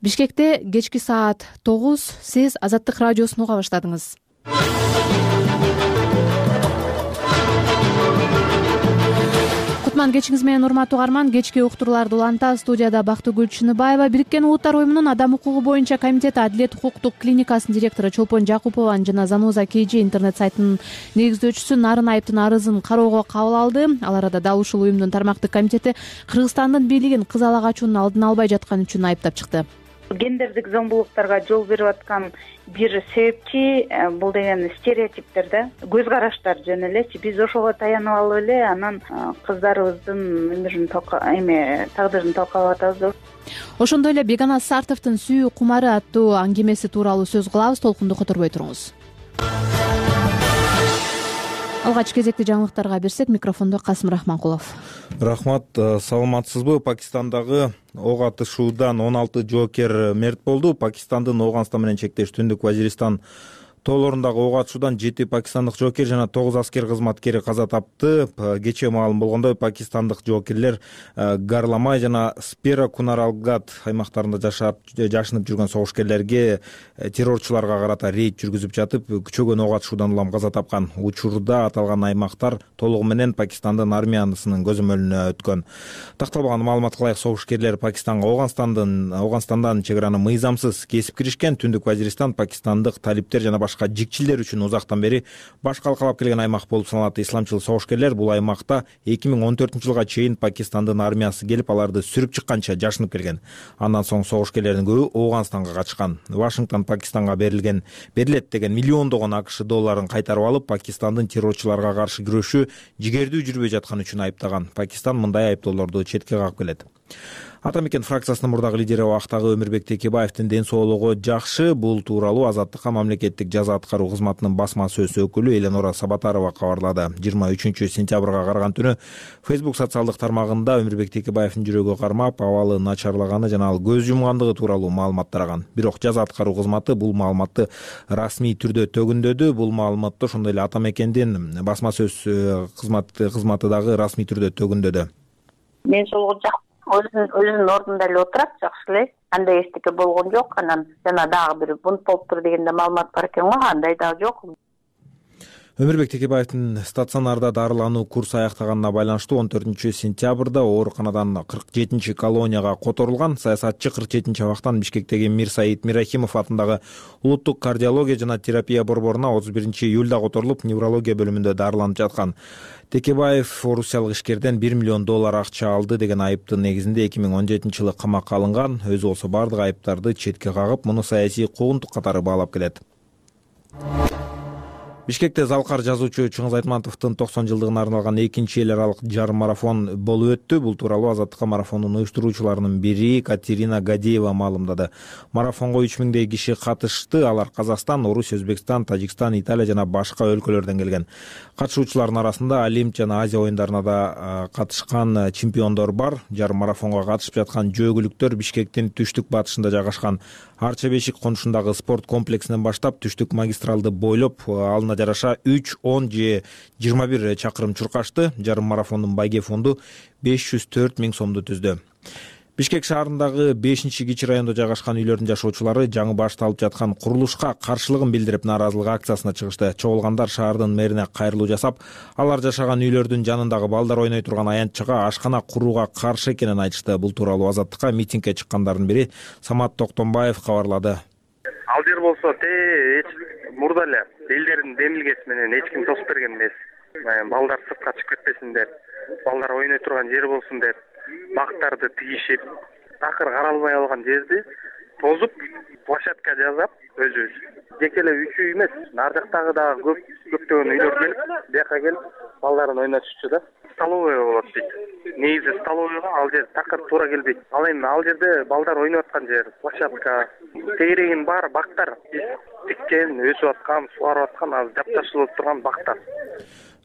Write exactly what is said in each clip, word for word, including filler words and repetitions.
Бишкекте кечки саат тогуз, сиз Азаттык радиосун уга баштадыңыз. Кутман кечиңиз менен урматтуу угарман. Кечки уктурууларды уланта. Студияда Бактыгүл Чыныбаева. Бириккен Улуттар уюмунун Адам укугу боюнча комитети Адилет укуктук клиникасынын директору Чолпон Жакупованын жана Заноза Кж интернет сайтынын негиздөөчүсү Нарын Айыптын арызын кароого кабыл алды. Ал арада дал ушул уюмдун тармактык комитети Кыргызстандын бийлигин кыз ала качуунун алдын албай жатканы үчүн айыптап чыкты. Гендердик зомбулуктарга жол берип аткан бир себепчи бул деген стереотиптер да, көз караштар жөн элечи. Биз ошого таянып алып эле анан кыздарыбыздын өмүрүн эме тагдырын талкалап атабыз. Ошондой эле Бегана Сартовдун Сүйүү кумары аттуу аңгемеси тууралуу сөз кылабыз. Толкунду которбой туруңуз. Алгач кезекти жаңылыктарга берсек, микрофондо Касым Рахманкулов. Рахмат, саламатсызбы? Пакистандагы ок атышуудан он алты жоокер мерт болду. Пакистандын Ооганстан менен чектеш Түндүк Вазиристан тоолорундагы ок атышуудан жети пакистандык жоокер жана тогуз аскер кызматкери каза тапты. Кечээ маалым болгондой, пакистандык жоокерлер Гарламай жана Спера Кунаралгат аймактарында жашап жашынып жүргөн согушкерлерге террорчуларга карата рейд жүргүзүп жатып, күчөгөн ок атышуудан улам каза тапкан. Учурда аталган аймактар толугу менен Пакистандын армиясынын көзөмөлүнө өткөн. Такталбаган маалымат кылайык, согушкерлер Пакистанга Ооганстандын Ооганстандан чек араны мыйзамсыз кесип киришкен. Түндүк Вазиристан пакистандык талиптер жана башка жикчилдер үчүн узактан бери баш калкалап келген аймак болуп саналат. Исламчыл согушкерлер бул аймакта эки миң он төртүнчү жылга чейин Пакистандын армиясы келип, аларды сүрүп чыкканча жашынып келген. Андан соң согушкерлердин көбү Ооганстанга качкан. Вашингтон Пакистанга берилген берилет деген миллиондогон АКШ долларын кайтарып алып, Пакистандын террорчуларга каршы күрөшү жигердүү жүрбөй жатканы үчүн айыптаган. Пакистан мындай айыптоолорду четке кагып келет. Ата мекен фракциясынын мурдагы лидери убактагы Өмүрбек Текебаевдин ден соолугу жакшы. Бул тууралуу Азаттыкка мамлекеттик жаза аткаруу кызматынын басма сөз өкүлү Эленора Сабатарова кабарлады. жыйырма үчүнчү сентябрга караган түнү Facebook социалдык тармагында Өмүрбек Текебаевдин жүрөгү кармап, абалы начарлаганы жана ал көз жумгандыгы тууралуу маалымат тараган. Бирок жаза аткаруу кызматы бул маалыматты расмий түрдө төгүндөдү. Бул маалыматты ошондой эле Ата мекендин басма сөз кызматы кызматы дагы расмий түрдө төгүндөдү. Мен сол жак өзүнүн өзүнүн ордунда эле отурат, жакшы эле. Андай эчтеке болгон жок. Анан жана дагы бир бунт болуптур дегенде маалымат бар экен го, андай дагы жок. Өмүрбек Текебаевдин стационарда дарылануу курсу аяктаганына байланыштуу он төртүнчү сентябрда ооруканадан кырк жетинчи колонияга которулган. Саясатчы кырк жетинчи абактан Бишкектеги Мир Саид Мирахимов атындагы улуттук кардиология жана терапия борборуна отуз биринчи июлда которулуп, неврология бөлүмүндө дарыланып жаткан. Текебаев орусиялык ишкерден бир миллион доллар акча алды деген айыптын негизинде эки миң он жетинчи жылы камакка алынган. Өзү болсо бардык айыптарды четке кагып, муну саясий куугунтук катары баалап келет. Бишкекте залкар жазуучу Чыңгыз Айтматовдун токсон жылдыгына арналган экинчи эл аралык жарым марафон болуп өттү. Бул тууралуу Азаттыкка марафондун уюштуруучуларынын бири Катерина Гадеева маалымдады. Марафонго үч миңдей киши катышты. Алар Казакстан, Орусия, Өзбекстан, Тажикстан, Италия жана башка өлкөлөрдөн келген. Катышуучулардын арасында Олимп жана Азия оюндарына да катышкан чемпиондор бар. Жарым марафонго катышып жаткан жөөгүлүктөр Бишкектин түштүк батышында жайгашкан Арча Бешик конушундагы спорт комплексинен баштап түштүк магистралды бойлоп, алына жараша үч, он же жыйырма бир чакырым чуркашты. Жарым марафондун байге фонду беш жүз төрт миң сомду түздү. Бишкек шаарындагы бешинчи кичи райондо жайгашкан үйлөрдүн жашоочулары жаңы башталып жаткан курулушка каршылыгын билдирип, нааразылык акциясына чыгышты. Чогулгандар шаардын мэрине кайрылуу жасап, алар жашаган үйлөрдүн жанындагы балдар ойной турган аянтчага ашкана курууга каршы экенин айтышты. Бул тууралуу Азаттыкка митингге чыккандардын бири Самат Токтомбаев кабарлады. Ал жер болсо те мурда эле элдердин демилгеси менен эч ким тосуп берген эмес. Балдар сыртка чыгып кетпесиндер, балдар ойной турган жер болсун деп бактарды тигишип, такыр каралбай алган жерди тозуп, площадка жасап, өзүбүз жеке эле үч үй эмес, ар жактагы дагы көп көптөгөн үйлөр келип, бияка келип балдарын ойнотушчу да. Столовый болот дейт. Негизи столовыйга ал жер такыр туура келбейт. Ал эми ал жерде балдар ойноп аткан жер, площадка, тегерегин баары бактар. Тиккен, өсүп аткан, сугарып аткан, азыр жапташылып турган бактар.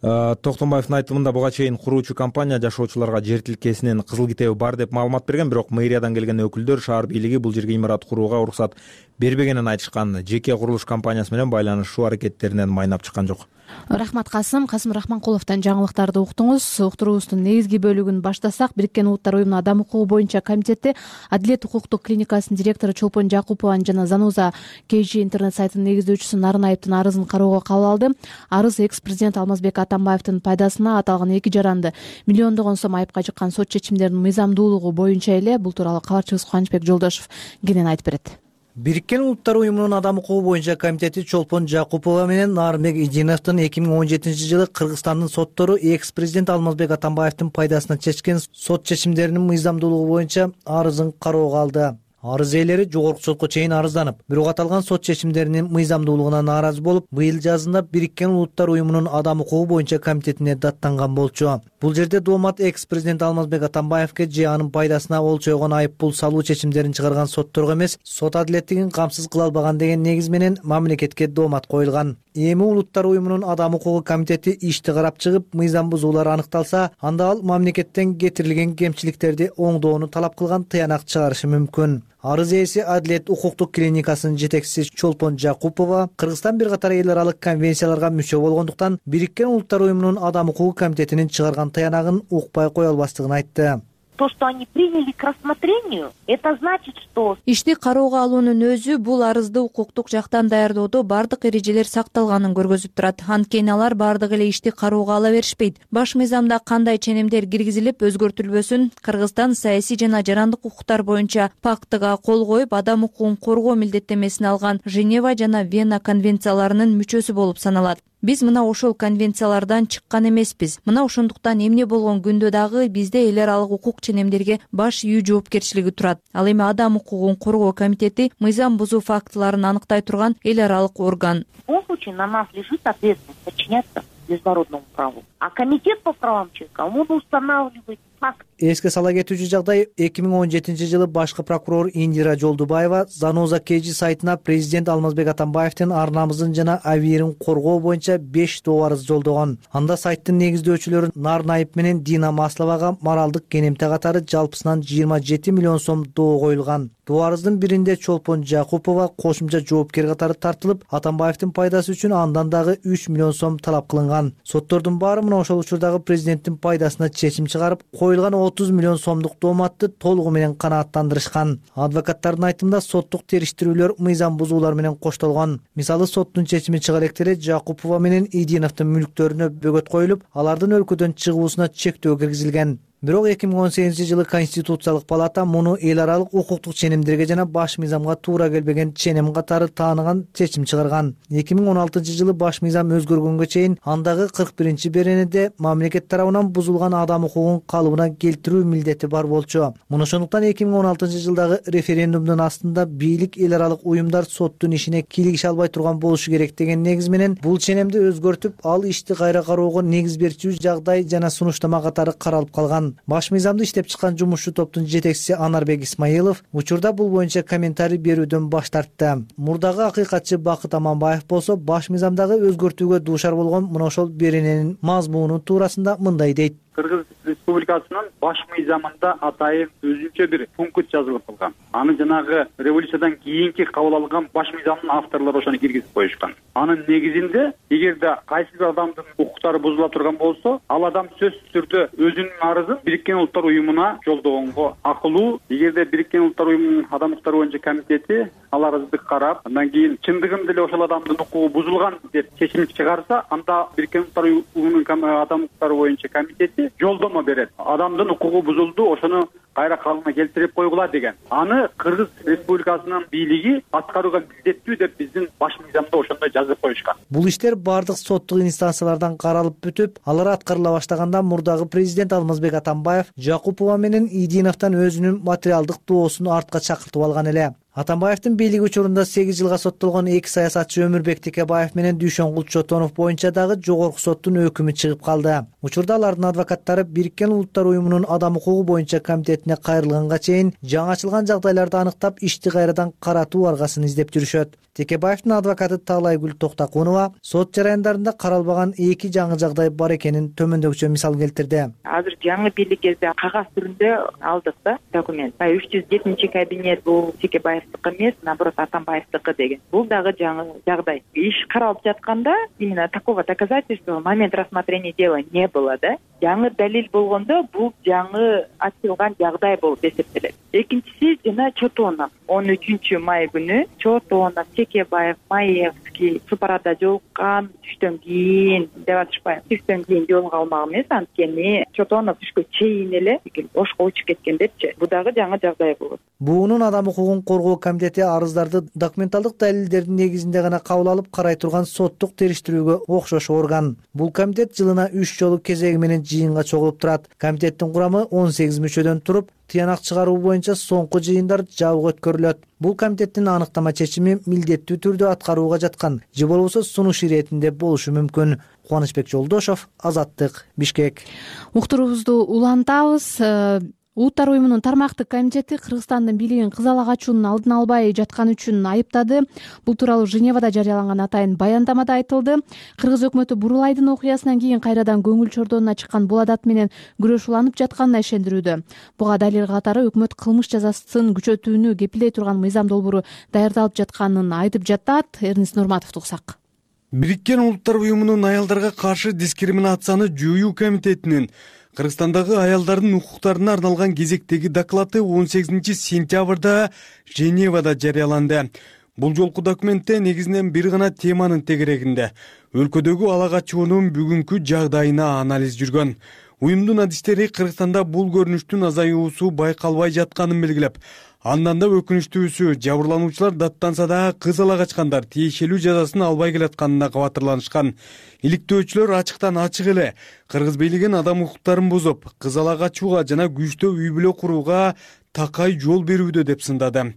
Токтомбаевдин айтымында буга чейин куруучу компания жашоочуларга жер тилкесинин кызыл китеби бар деп маалымат берген, бирок мэриядан келген өкүлдөр шаар бийлиги бул жерге имарат курууга уруксат бербегенин айтышкан. Жеке курулуш компаниясы менен байланышуу аракеттеринен майнап чыккан жок. Рахмат Касым. Касым Рахманкуловдон жаңылыктарды уктуңуз. Уктуруубуздун негизги бөлүгүн баштасак, Бириккен Улуттар уюмунун Адам укугу боюнча комитети Адилет укуктук клиникасынын директору Чолпон Жакупованын жана Зануза КЖ интернет сайтынын негиздөөчүсү Нарынаевдин арызын кароого кабыл алды. Арыз экс-президент Алмазбек Атамбаевдин пайдасына аталган эки жаранды миллиондогон сом айыпка жыккан сот чечимдеринин мыйзамдуулугу боюнча эле. Бул тууралуу кабарчыбыз Кубанычбек Жолдошов кенен айтып берет. Бириккен Улуттар уюмунун Адам укугу боюнча комитети Чолпон Жакупова менен Нарынбек Идиновдун эки миң он жетинчи жылы Кыргызстандын соттору экс-президент Алмазбек Атамбаевдин пайдасына чечкен сот чечимдеринин мыйзамдуулугу боюнча арызын кароого алды. Арыз ээлери жогорку сотко чейин арызданып, бирок аталган сот чечимдеринин мыйзамдуулугуна нааразы болуп, быйыл жазында Бириккен Улуттар уюмунун Адам укугу боюнча комитетине даттанган болчу. Бул жерде доомат экс-президент Алмазбек Атамбаевке же анын пайдасына олчойгон айып пул салуу чечимдерин чыгарган сотторго эмес, сот адилеттигин камсыз кыла албаган деген негиз менен мамлекетке доомат коюлган. Эми Улуттар уюмунун Адам укугу комитети ишти карап чыгып, мыйзам бузуулар аныкталса, анда ал мамлекеттен кетирилген кемчиликтерди оңдоону талап кылган тыянак чыгарышы мүмкүн. Арыз ээси Адилет укуктук клиникасынын жетекчиси Чолпон Жакупова Кыргызстан бир катар эл аралык конвенцияларга мүчө болгондуктан Бириккен Улуттар уюмунун Адам укугу комитетинин чыгарган таянагын укпай кое албастыгын айтты. То, что они приняли к рассмотрению, это значит, что ишти кароого алуунун өзү бул арызды укуктук жактан даярдоодо бардык эрежелер сакталганын көргөзүп турат. Анткени алар бардык эле ишти кароого ала беришпейт. Баш мыйзамда кандай ченемдер киргизилип өзгөртүлбөсүн, Кыргызстан саясий жана жарандык укуктар боюнча пактыга кол коюп, адам укугун коргоо милдеттенмесин алган Женева жана Вена конвенцияларынын мүчөсү болуп саналат. Биз мына ошол конвенциялардан чыккан эмеспиз. Мына ошондуктан эмне болгон күндө дагы бизде эл аралык укук ченемдерге баш ийүү жоопкерчилиги турат. Ал эми Адам укугун коргоо комитети мыйзам бузуу фактыларын аныктай турган эл аралык орган. В любом случае на нас лежит ответственность подчиняться международному праву. А комитет по правам человека, он устанавливает факт. Эске сала кетүүчү жагдай, эки миң он жетинчи жылы башкы прокурор Индира Жолдубаева Зануза КЖ сайтына президент Алмазбек Атамбаевдин ар намысын жана абийирин коргоо боюнча беш доо арыз жолдогон. Анда сайттын негиздөөчүлөрү Нарынаев менен Дина Масловага моралдык кенемте катары жалпысынан жыйырма жети миллион сом доо коюлган. Доо арыздын биринде Чолпон Жакупова кошумча жоопкер катары тартылып, Атамбаевдин пайдасы үчүн андан дагы үч миллион сом талап кылынган. Соттордун баары мына ошол учурдагы президенттин пайдасына чечим чыгарып, коюлган отуз миллион сомдук дооматты толугу менен канааттандырышкан. Адвокаттардын айтымында соттук териштирүүлөр мыйзам бузуулар менен коштолгон. Мисалы, соттун чечими чыга элек эле Жакупова менен Идиновдун мүлктөрүнө бөгөт коюлуп, алардын өлкөдөн чыгуусуна чектөө киргизилген. Бирок эки миң он сегизинчи жылы Конституциялык палата муну эл аралык укуктук ченемдерге жана баш мыйзамга туура келбеген ченем катары тааныган чечим чыгарган. эки миң он алтынчы жылы баш мыйзам өзгөргөнгө чейин андагы кырк биринчи беренеде мамлекет тарабынан бузулган адам укугун калыбына келтирүү милдети бар болчу. Муну ошондуктан эки миң он алтынчы жылдагы референдумдун астында бийлик эл аралык уюмдар соттун ишине кийлигише албай турган болушу керек деген негиз менен бул ченемди өзгөртүп, ал ишти кайра кароого негиз берчү жагдай жана сунуштама катары каралып калган. Баш мыйзамды иштеп чыккан жумушчу топтун жетекчиси Анарбек Исмаилов учурда бул боюнча комментарий берүүдөн баш тартты. Мурдагы акыйкатчы Бакыт Аманбаев болсо баш мыйзамдагы өзгөртүүгө дуушар болгон мына ошол берененин мазмуну туурасында мындай дейт. Кыргыз Республикасынын баш мыйзамында атайын өзүнчө бир пункт жазылып калган. Аны жанагы революциядан кийинки кабыл алган баш мыйзамдын авторлору ошону киргизип коюшкан. Анын негизинде эгерде кайсы бир адамдын укуктары бузула турган болсо, ал адам сөзсүз түрдө өзүнүн арызын Бириккен Улуттар уюмуна жолдогонго акылуу. Эгерде Бириккен Улуттар уюмунун адам укуктары боюнча комитети ал арызды карап, андан кийин чындыгында эле ошол адамдын укугу бузулган деп чечим чыгарса, анда Бириккен Улуттар уюмунун адам укуктары боюнча комитети жолдомо берет. Адамдын укугу бузулду, ошону кайра калыбына келтирип койгула деген. Аны Кыргыз Республикасынын бийлиги аткарууга милдеттүү деп биздин баш мыйзамда ошондой жазып коюшкан. Бул иштер бардык соттук инстанциялардан каралып бүтүп, алар аткарыла баштаганда мурдагы президент Алмазбек Атамбаев Жакупова менен Идиновдон өзүнүн материалдык доосун артка чакыртып алган эле. Атамбаевдин бийлиги учурунда сегиз жылга соттолгон эки саясатчы Өмүрбек Текебаев менен Дүйшөнгул Чотонов боюнча дагы жогорку соттун өкүмү чыгып калды. Учурда алардын адвокаттары Бириккен Улуттар уюмунун адам укугу боюнча комитетине кайрылганга чейин жаңы ачылган жагдайларды аныктап, ишти кайрадан каратуу аргасын издеп жүрүшөт. Текебаевдин адвокаты Таалайгүл Токтакунова сот жараяндарында каралбаган эки жаңы жагдай бар экенин төмөндөгүчө мисал келтирди. Азыр жаңы бийлик кезде кагаз түрүндө алдык да документ. үч жүз жетинчи кабинет бул Текебаев Атамбаевдики эмес, наоборот Атамбаевдики деген. Бул дагы жаңы жагдай. Иш каралып жатканда именно такого доказательства момент рассмотрения дела не было, да. Жаңы далил болгондо бул жаңы ачылган жагдай болуп эсептелет. Экинчиси жана Чотонов он үчүнчү май күнү Чотонов, Чекебаев, Маевский Супарада жолуккан, түштөн кийин деп атышпайбы. Түштөн кийин жолуга алмак эмес, анткени Чотонов түшкө чейин эле ошко учуп кеткендерчи. Бул дагы жаңы жагдай болот. Буунун Адам укугун коргоо комитети арыздарды документалдык далилдердин негизинде гана кабыл алып карай турган соттук териштирүүгө окшош орган. Бул комитет жылына үч жолу кезеги менен жыйынга чогулуп турат. Комитеттин курамы он сегиз мүчөдөн туруп, тыянак чыгаруу боюнча соңку жыйындар жабык өткөрүлөт. Бул комитеттин аныктама чечими милдеттүү түрдө аткарууга жаткан же болбосо сунуш иретинде болушу мүмкүн. Кубанычбек Жолдошов, Азаттык, Бишкек. Уктуруубузду улантабыз. Улуттар уюмунун тармактык комитети Кыргызстандын бийлигин кызалак ачуунун алдын албай жатканы үчүн айыптады. Бул тууралуу Женевада жарыяланган атайын баяндамада айтылды. Кыргыз өкмөтү Бурулайдын окуясынан кийин кайрадан көңүл чордонуна чыккан бул адат менен күрөш уланып жатканына ишендирүүдө. Буга далил катары өкмөт кылмыш жазасын күчөтүүнү кепилдей турган мыйзам долбоору даярдалып жатканын айтып жатат. Эрнест Нурматовду уксак. Бириккен Улуттар уюмунун аялдарга каршы дискриминацияны жоюу комитетинин Кыргызстандагы аялдардын укуктарына арналган кезектеги доклады он сегизинчи сентябрда Женевада жарыяланды. Бул жолку документте негизинен бир гана теманын тегерегинде өлкөдөгү ала качуунун бүгүнкү жагдайына анализ жүргөн. Уюмдун адистери Кыргызстанда бул көрүнүштүн азаюусу байкалбай жатканын белгилеп, андан да өкүнүчтүүсү жабырлануучулар даттанса да кыз ала качкандар тиешелүү жазасын албай келатканына кабатырланышкан. Иликтөөчүлөр ачыктан ачык эле Кыргыз бийлигин адам укуктарын бузуп, кыз ала качууга жана күчтүү үй бүлө курууга такай жол берүүдө деп сындады.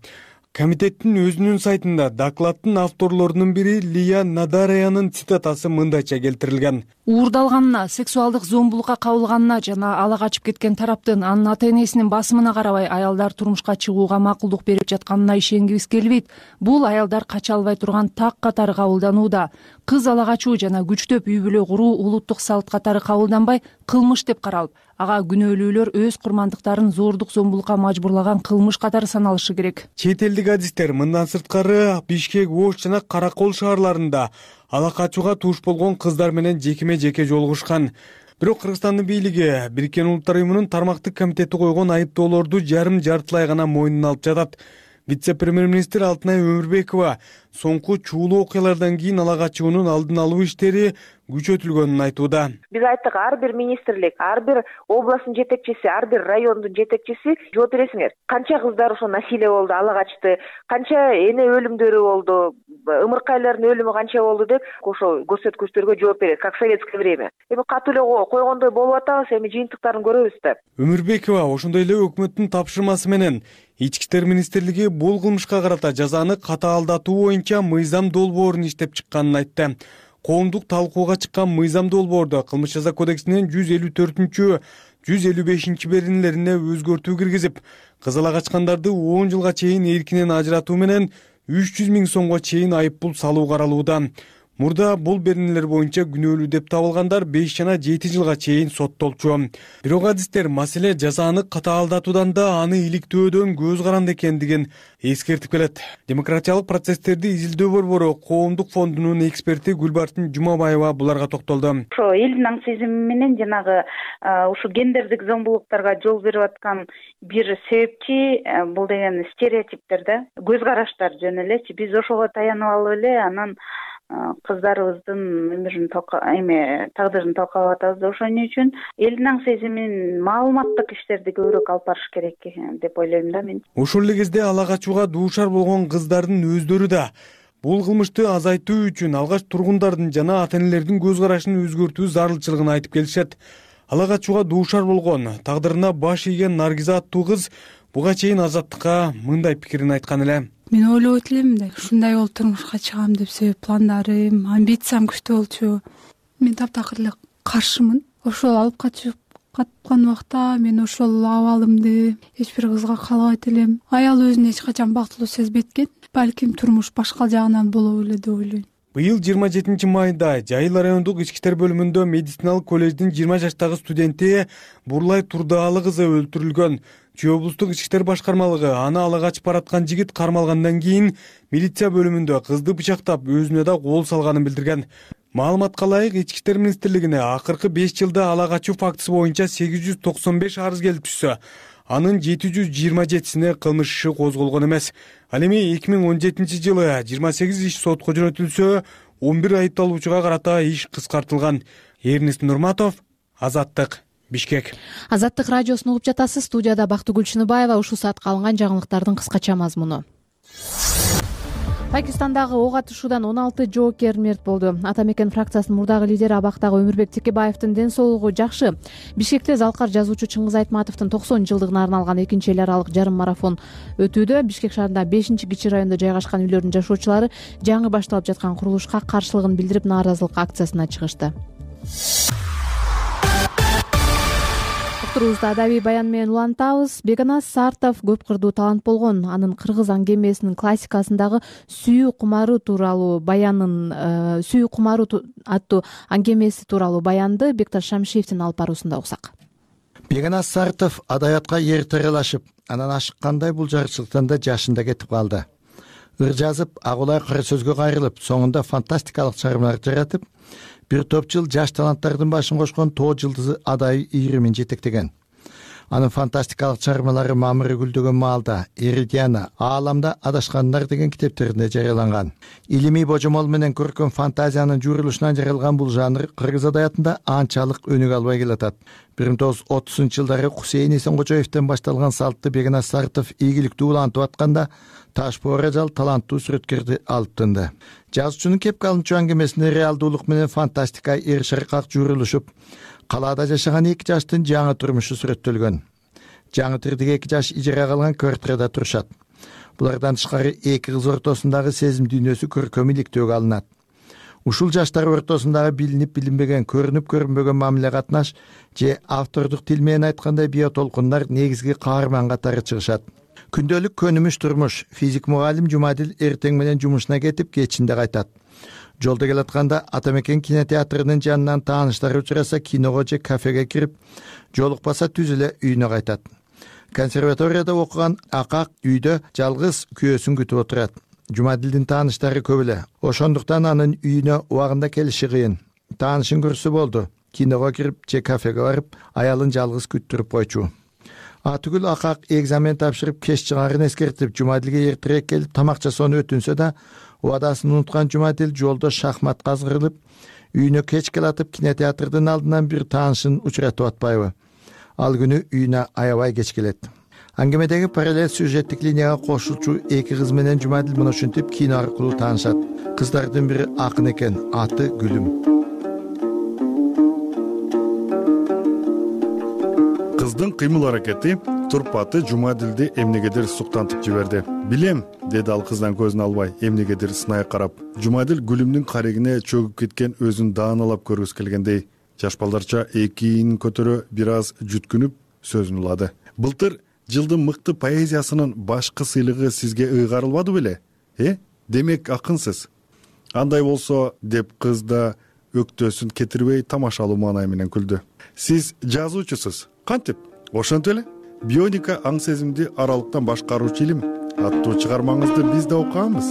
Комитеттин өзүнүн сайтында докладдын авторлорунун бири Лия Надараянын цитатасы мындайча келтирилген. Уурдалганына, сексуалдык зомбулукка кабылганына жана ала качып кеткен тараптын анын ата-энесинин басымына карабай аялдар турмушка чыгууга макулдук берип жатканына ишенгибиз келбейт. Бул аялдар кача албай турган так катары кабылданууда. Кыз ала качуу жана күчтөп үй бүлө куруу улуттук салт катары кабылданбай кылмыш деп каралып, ага күнөөлүүлөр өз курмандыктарын зордук зомбулукка мажбурлаган кылмыш катары саналышы керек. Чет элдик адистер мындан сырткары Бишкек, Ош жана Каракол шаарларында ала качууга туш болгон кыздар менен жекеме жеке жолугушкан. Бирок Кыргызстандын бийлиги Бириккен Улуттар уюмунун тармактык комитети койгон айыптоолорду жарым жартылай гана мойнуна алып жатат. Вице-премьер-министр Алтынай Өмүрбекова соңку чуулуу окуялардан кийин ала качуунун алдын алуу иштери күчөтүлгөнүн айтууда. Биз айттык, ар бир министрлик, ар бир областтын жетекчиси, ар бир райондун жетекчиси жооп бересиңер. Канча кыздар ошо насилие болду, ала качты, канча эне өлүмдөрү болду, ымыркайлардын өлүмү канча болду деп ошо көрсөткүчтөргө жооп берет, как в советское время. Эми катуу эле койгондой болуп атабыз, эми жыйынтыктарын көрөбүз да. Өмүрбекова ошондой эле өкмөттүн тапшырмасы менен Ички иштер министрлиги бул кылмышка карата жазаны катаалдатуу боюнча мыйзам долбоорун иштеп чыкканын айтты. Коомдук талкууга чыккан мыйзам долбоордо кылмыш жаза кодексинин жүз элүү төртүнчү, жүз элүү бешинчи беренелерине өзгөртүү киргизип, кыз ала качкандарды он жылга чейин эркинен ажыратуу менен үч жүз миң сомго чейин айыппул салуу каралууда. Мурда бул беренелер боюнча күнөөлүү деп табылгандар беш жана жети жылга чейин соттолчу. Бирок адистер маселе жазаны катаалдатуудан да аны иликтөөдөн көз каранды экендигин эскертип келет. Демократиялык процесстерди изилдөө борбору Коомдук фондунун эксперти Гүлбартын Жумабаева буларга токтолду. Ошо элдин аң сезими менен жанагы ушу гендердик зомбулуктарга жол берип аткан бир себепчи бул деген стереотиптер да, көз караштар жөн элечи. Биз ошого таянып алып эле анан кыздарыбыздын өмүрүн эме тагдырын талкалап атабыз да. Ошон үчүн элдин аң сезимин, маалыматтык иштерди көбүрөөк алып барыш керек деп ойлойм да мен. Ошол эле кезде ала качууга дуушар болгон кыздардын өздөрү да бул кылмышты азайтуу үчүн алгач тургундардын жана ата-энелердин көз карашын өзгөртүү зарылчылыгын айтып келишет. Ала качууга дуушар болгон, тагдырына баш ийген Наргиза аттуу кыз буга чейин Азаттыкка мындай пикирин айткан эле. Мен ойлобойт элем да, ушундай болуп турмушка чыгам деп, себеп пландарым, амбициям күчтүү болчу. Мен таптакыр эле каршымын. Ошол алып качып каткан убакта мен ошол абалымды эч бир кызга каалабайт элем. Аял өзүн эч качан бактылуу сезбейт экен. Балким турмуш башка жагынан болобу эле деп ойлойм. Быйыл жыйырма жетинчи майда Жайыл райондук ички иштер бөлүмүндө медициналык колледждин жыйырма жаштагы студенти Бурлай Турдаалы кызы өлтүрүлгөн. Чүй облустук ички иштер башкармалыгы аны ала качып бараткан жигит кармалгандан кийин милиция бөлүмүндө кызды бычактап өзүнө да кол салганын билдирген. Маалыматка ылайык, ички иштер министрлигине акыркы беш жылда ала качуу фактысы боюнча сегиз жүз токсон беш арыз келип түшсө, анын жети жүз жыйырма жетисине кылмыш иши козголгон эмес. Ал эми эки миң он жетинчи жылы жыйырма сегиз иш сотко жөнөтүлсө, он бир айыпталуучуга карата иш кыскартылган. Эрнест Нурматов, Азаттык, Бишкек. Азаттык радиосун угуп жатасыз. Студияда Бактыгүл Чыныбаева. Ушул саатка алынган жаңылыктардын кыскача мазмуну. Пакистандагы ок атышуудан он алты жоокер мерт болду. Ата мекен фракциясынын мурдагы лидери абактагы Өмүрбек Текебаевдин ден соолугу жакшы. Бишкекте залкар жазуучу Чыңгыз Айтматовдун токсон жылдыгына арналган экинчи эл аралык жарым марафон өтүүдө. Бишкек шаарында бешинчи кичи райондо жайгашкан үйлөрдүн жашоочулары жаңы башталып жаткан курулушка каршылыгын билдирип, нааразылык акциясына чыгышты. Уктурубузду адабий баян менен улантабыз. Беканас Сартов көп кырдуу талант болгон. Анын кыргыз аңгемесинин классикасындагы сүйүү кумары тууралуу баянын сүйүү кумары аттуу аңгемеси тууралуу баянды Бекташ Шамшиевдин алып баруусунда уксак. Беканас Сартов адабиятка эрте аралашып, анан ашыккандай бул жарчылыктан да жашында кетип калды. Ыр жазып, агулай кара сөзгө кайрылып, соңунда фантастикалык чыгармалар жаратып, бир топ жыл жаш таланттардын башын кошкон тоо жылдызы адай ийримин жетектеген. Анын фантастикалык чыгармалары мамыры гүлдөгөн маалда, Эридиана, Ааламда адашкандар деген китептеринде жарыяланган. Илимий божомол менен көркөм фантазиянын жуурулушунан жаралган бул жанр кыргыз адабиятында анчалык өнүк албай келатат. бир миң тогуз жүз отузунчу жылдары Хусейин Эсенгожоевден башталган салтты Беканас Сартов ийгиликтүү улантып атканда, Ташпоор ажал таланттуу сүрөткөрдү алып тынды. Жазуучунун кепке алынчу аңгемесине реалдуулук менен фантастика эр шаркак жуурулушуп, калаада жашаган эки жаштын жаңы турмушу сүрөттөлгөн. Жаңы тирдеги эки жаш ижарага алган квартирада турушат. Булардан тышкары эки кыз ортосундагы сезим дүйнөсү көркөм иликтөөгө алынат. Ушул жаштар ортосундагы билинип билинбеген, көрүнүп көрүнбөгөн мамиле катнаш же автордук тил менен айткандай биотолкундар негизги каарман катары чыгышат. Күндөлүк көнүмүш турмуш. Физик мугалим Жумадил эртең менен жумушуна кетип, кечинде кайтат. Жолдо келатканда Ата мекен кинотеатрынын жанынан тааныштары учураса киного же кафеге кирип, жолукпаса түз эле үйүнө кайтат. Консерваторияда окуган Акак үйдө жалгыз күйөөсүн күтүп отурат. Жумадилдин тааныштары көп эле. Ошондуктан анын үйүнө убагында келиши кыйын. Таанышын көрсө болду. Киного кирип же кафеге барып, аялын жалгыз күттүрүп койчу. Атүгүл Акак экзамен тапшырып кеч чыгарын эскертип, Жумадилге эртерээк келип тамак жасоону өтүнсө да, убадасын унуткан Жумадил жолдо шахмат казгырылып, үйүнө кеч келатып кинотеатрдын алдынан бир таанышын учуратып атпайбы. Ал күнү үйүнө аябай кеч келет. Аңгемедеги параллель сюжеттик линияга кошулчу эки кыз менен Жумадил муну ушинтип кино аркылуу таанышат. Кыздардын бири акын экен, аты Гүлүм. Кыздын кыймыл аракети турпаты Жумадилди эмнегедир суктантып жиберди. Билем, деди ал кыздан көзүн албай, эмнегедир сынай карап. Жумадил Гүлүмдүн карегине чөгүп кеткен өзүн даанылап көргүсү келгендей, жаш балдарча экиин көтөрө бир аз жүткүнүп сөзүн улады. Былтыр жылдын мыкты поэзиясынын башкы сыйлыгы сизге ыйгарылбады беле? Э? Демек акынсыз. Андай болсо, деп кыз да өктөсүн кетирбей тамашалуу маанай менен күлдү. Сиз жазуучусуз. Кантип? Ошентип эле. Бионика аң сезимди аралыктан башкаруучу илим аттуу чыгармаңызды биз да окуганбыз.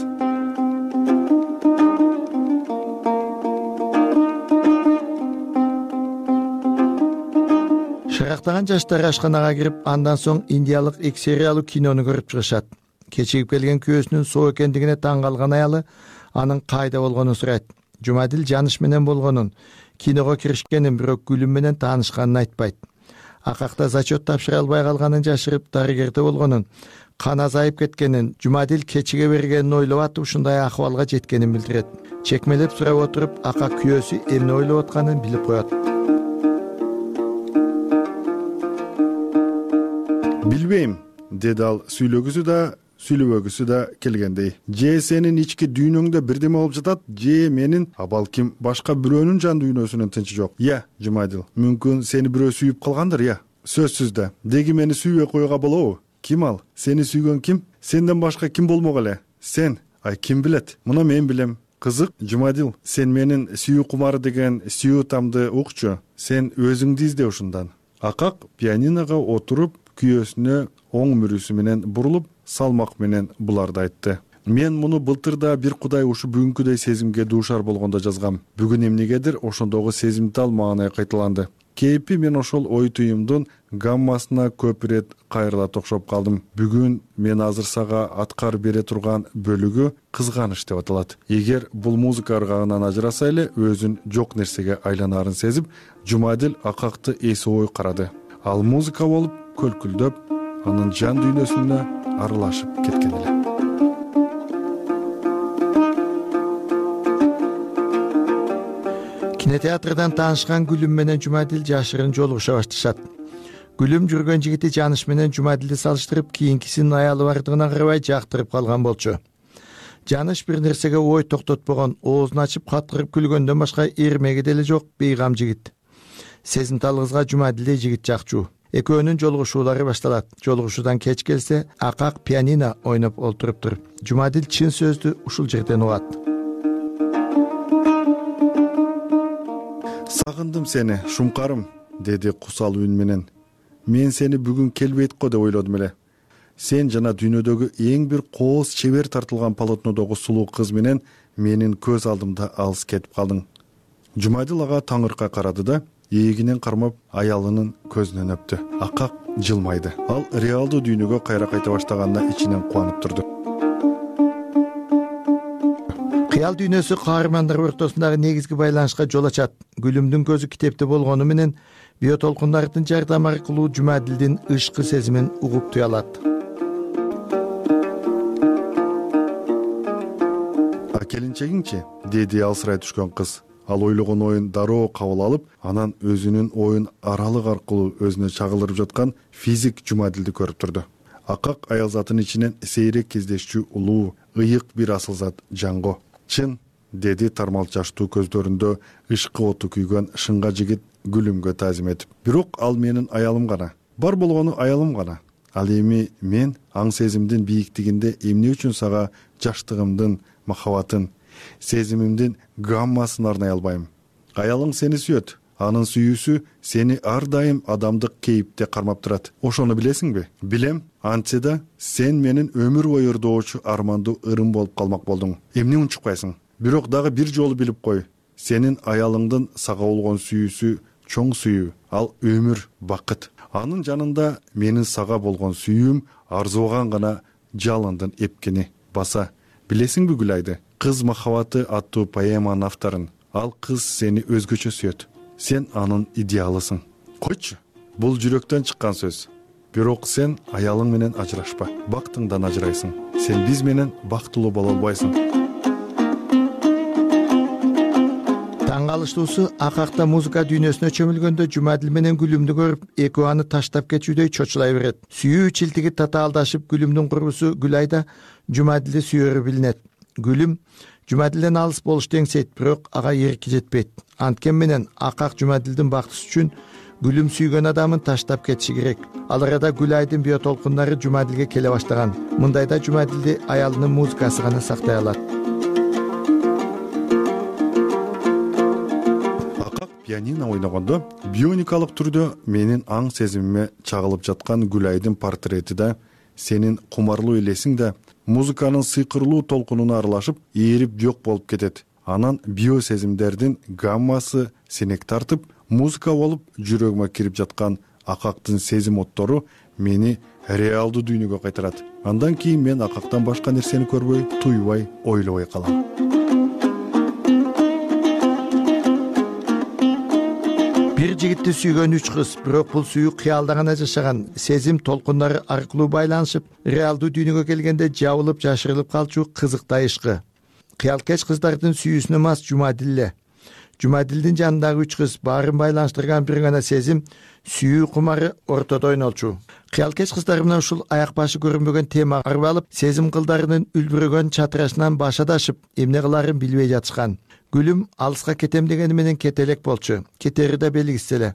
Шарактаган жаштар ашканага кирип, андан соң индиялык эки сериялуу кинону көрүп чыгышат. Кечигип келген күйөөсүнүн соо экендигине таң калган аялы анын кайда болгонун сурайт. Жумадил жаныш менен болгонун, киного киришкенин, бирок Гүлүм менен таанышканын айтпайт. Акакта зачет тапшыра албай калганын жашырып, дарыгерде болгонун, кан азайып кеткенин, Жумадил кечиге бергенин ойлоп атып, ушундай акыбалга жеткенин билдирет. Чекмелеп сурап отуруп, Акак күйөөсү эмне ойлоп атканын билип коет. Билбейм, деди ал сүйлөгүсү да, сүйлөбөгүсү да келгендей. Же сенин ички дүйнөңдө бирдеме болуп жатат, же менин, а балким башка бирөөнүн жан дүйнөсүнүн тынчы жок. Я, Жумадил, мүмкүн сени бирөө сүйүп калгандыр, я. Сөзсүз да. Деги мени сүйбөй коюуга болобу? Ким ал? Сени сүйгөн ким? Сенден башка ким болмок эле? Сен. Ай, ким билет? Муну мен билем. Кызык, Жумадил, сен менин сүйүү кумары деген сүйүү тамды укчу. Сен өзүңдү изде ушундан. Акак пианинога отуруп күйөөсүнө оң мүрүсү менен бурулуп салмак менен буларды айтты. Мен муну былтыр да бир кудай ушу бүгүнкүдөй сезимге дуушар болгондо жазгам. Бүгүн эмнегедир ошондогу сезимтал маанай кайталанды. Кейпи мен ошол ой туюмдун гаммасына көп ирет кайрыла токшоп калдым. Бүгүн мен азыр сага аткар бере турган бөлүгү кызганыч деп аталат. Эгер бул музыка ыргагынан ажыраса эле өзүн жок нерсеге айланаарын сезип, Жумадил акакты эси ой карады. Ал музыка болуп көлкүлдөп, анын жан дүйнөсүнө аралашып кеткен эле. Кинотеатрдан таанышкан Гүлүм менен Жумадил жашырын жолугуша башташат. Гүлүм жүргөн жигити Жаныш менен Жумадилди салыштырып, кийинкисинин аялы бардыгына карабай жактырып калган болчу. Жаныш бир нерсеге ой токтотпогон, оозун ачып каткырып күлгөндөн башка эрмеги деле жок бейгам жигит. Сезимтал кызга Жумадилдей жигит жакчу. Экөөнүн жолугушуулары башталат. Жолугушуудан кеч келсе, акак пианино ойноп олтуруптур. Жумадил чын сөздү ушул жерден угат. Сагындым сени, шумкарым, деди кусал үн менен. Мен сени бүгүн келбейт го деп ойлодум эле. Сен жана дүйнөдөгү эң бир кооз чебер тартылган полотнодогу сулуу кыз менен менин көз алдымда алыс кетип калдың. Жумадил ага таңыркай карады да, ээлигинен кармап аялынын көзүнөн өптү. Акак жылмайды. Ал реалдуу дүйнөгө кайра кайта баштаганына ичинен кубанып турду. Кыял дүйнөсү каармандар ортосундагы негизги байланышка жол ачат. Гүлүмдүн көзү китепте болгону менен биотолкундардын жардамы аркылуу Жумадилдин ышкы сезимин угуп туя алат. А келинчегиңчи, деди алсырай түшкөн кыз. Ал ойлогон оюн дароо кабыл алып, анан өзүнүн оюн аралык аркылуу өзүнө чагылдырып жаткан физик Жумадилди көрүп турду. Акак аял затынын ичинен сейрек кездешчү улуу, ыйык бир асыл зат Жанго. Чын, деди тармал жаштуу көздөрүндө ышкы оту күйгөн шынга жигит Гүлүмгө таазим этип. Бирок ал менин аялым гана. Бар болгону аялым гана. Ал эми мен аң сезимдин бийиктигинде эмне үчүн сага жаштыгымдын махабатын, сезимимдин гаммасын арнай албайм. Аялың сени сүйөт. Анын сүйүүсү сени ар дайым адамдык кейипте кармап турат. Ошону билесиңби? Билем. Антсе да сен менин өмүр бою ырдоочу армандуу ырым болуп калмак болдуң. Эмне унчукпайсың? Бирок дагы бир жолу билип кой. Сенин аялыңдын сага болгон сүйүүсү чоң сүйүү. Ал өмүр, бакыт. Анын жанында менин сага болгон сүйүүм арзуган гана жалындын эпкени баса. Билесиңби Гүлайды? Кыз махабаты аттуу поэманын авторун. Ал кыз сени өзгөчө сүйөт. Сен анын идеалысың. Койчу. Бул жүрөктөн чыккан сөз. Бирок сен аялың менен ажырашпа. Бактыңдан ажырайсың. Сен биз менен бактылуу боло албайсың. Таң калыштуусу, акакта музыка дүйнөсүнө чөмүлгөндө Жумадил менен Гүлүмдү көрүп, экөө аны таштап кетүүдөй чочулай берет. Сүйүү чилтиги татаалдашып, Гүлүмдүн курбусу Гүлайда Жумадилди сүйөрү билинет. Гүлүм Жумадилден алыс болушту эңсейт, бирок ага эрки жетпейт. Анткен менен акак Жумадилдин бактысы үчүн Гүлүм сүйгөн адамын таштап кетиши керек. Ал арада Гүлайдын биотолкундары Жумадилге келе баштаган. Мындайда Жумадилди аялынын музыкасы гана сактай алат. Акак пианино ойногондо бионикалык түрдө менин аң сезимиме чагылып жаткан Гүлайдын портрети да, сенин кумарлуу элесиң да музыканын сыйкырлуу толкунуна аралашып, ээрип жок болуп кетет. Анан биосезимдердин гаммасы сенек тартып, музыка болуп жүрөгүмө кирип жаткан акактын сезим оттору мени реалдуу дүйнөгө кайтарат. Андан кийин мен акактан башка нерсени көрбөй, туйбай, ойлобой калам. Бир жигитти сүйгөн үч кыз, бирок бул сүйүү кыялда гана жашаган. Сезим толкундары аркылуу байланышып, реалдуу дүйнөгө келгенде жабылып, жашырылып калчу кызыктай ишкы. Кыялкеч кыздардын сүйүүсүнө мас Жумадил эле. Жумадилдин жанындагы үч кыз баарын байланыштырган бир гана сезим, сүйүү кумары ортодо ойнолчу. Кыялкеч кыздар менен ушул аяк башы көрүнбөгөн тема арып алып, сезим кылдарынын үлбүрөгөн чатырашынан баш адашып, эмне кыларын билбей жатышкан. Гүлүм алыска кетем дегени менен кете элек болчу. Кетери да белгисиз эле.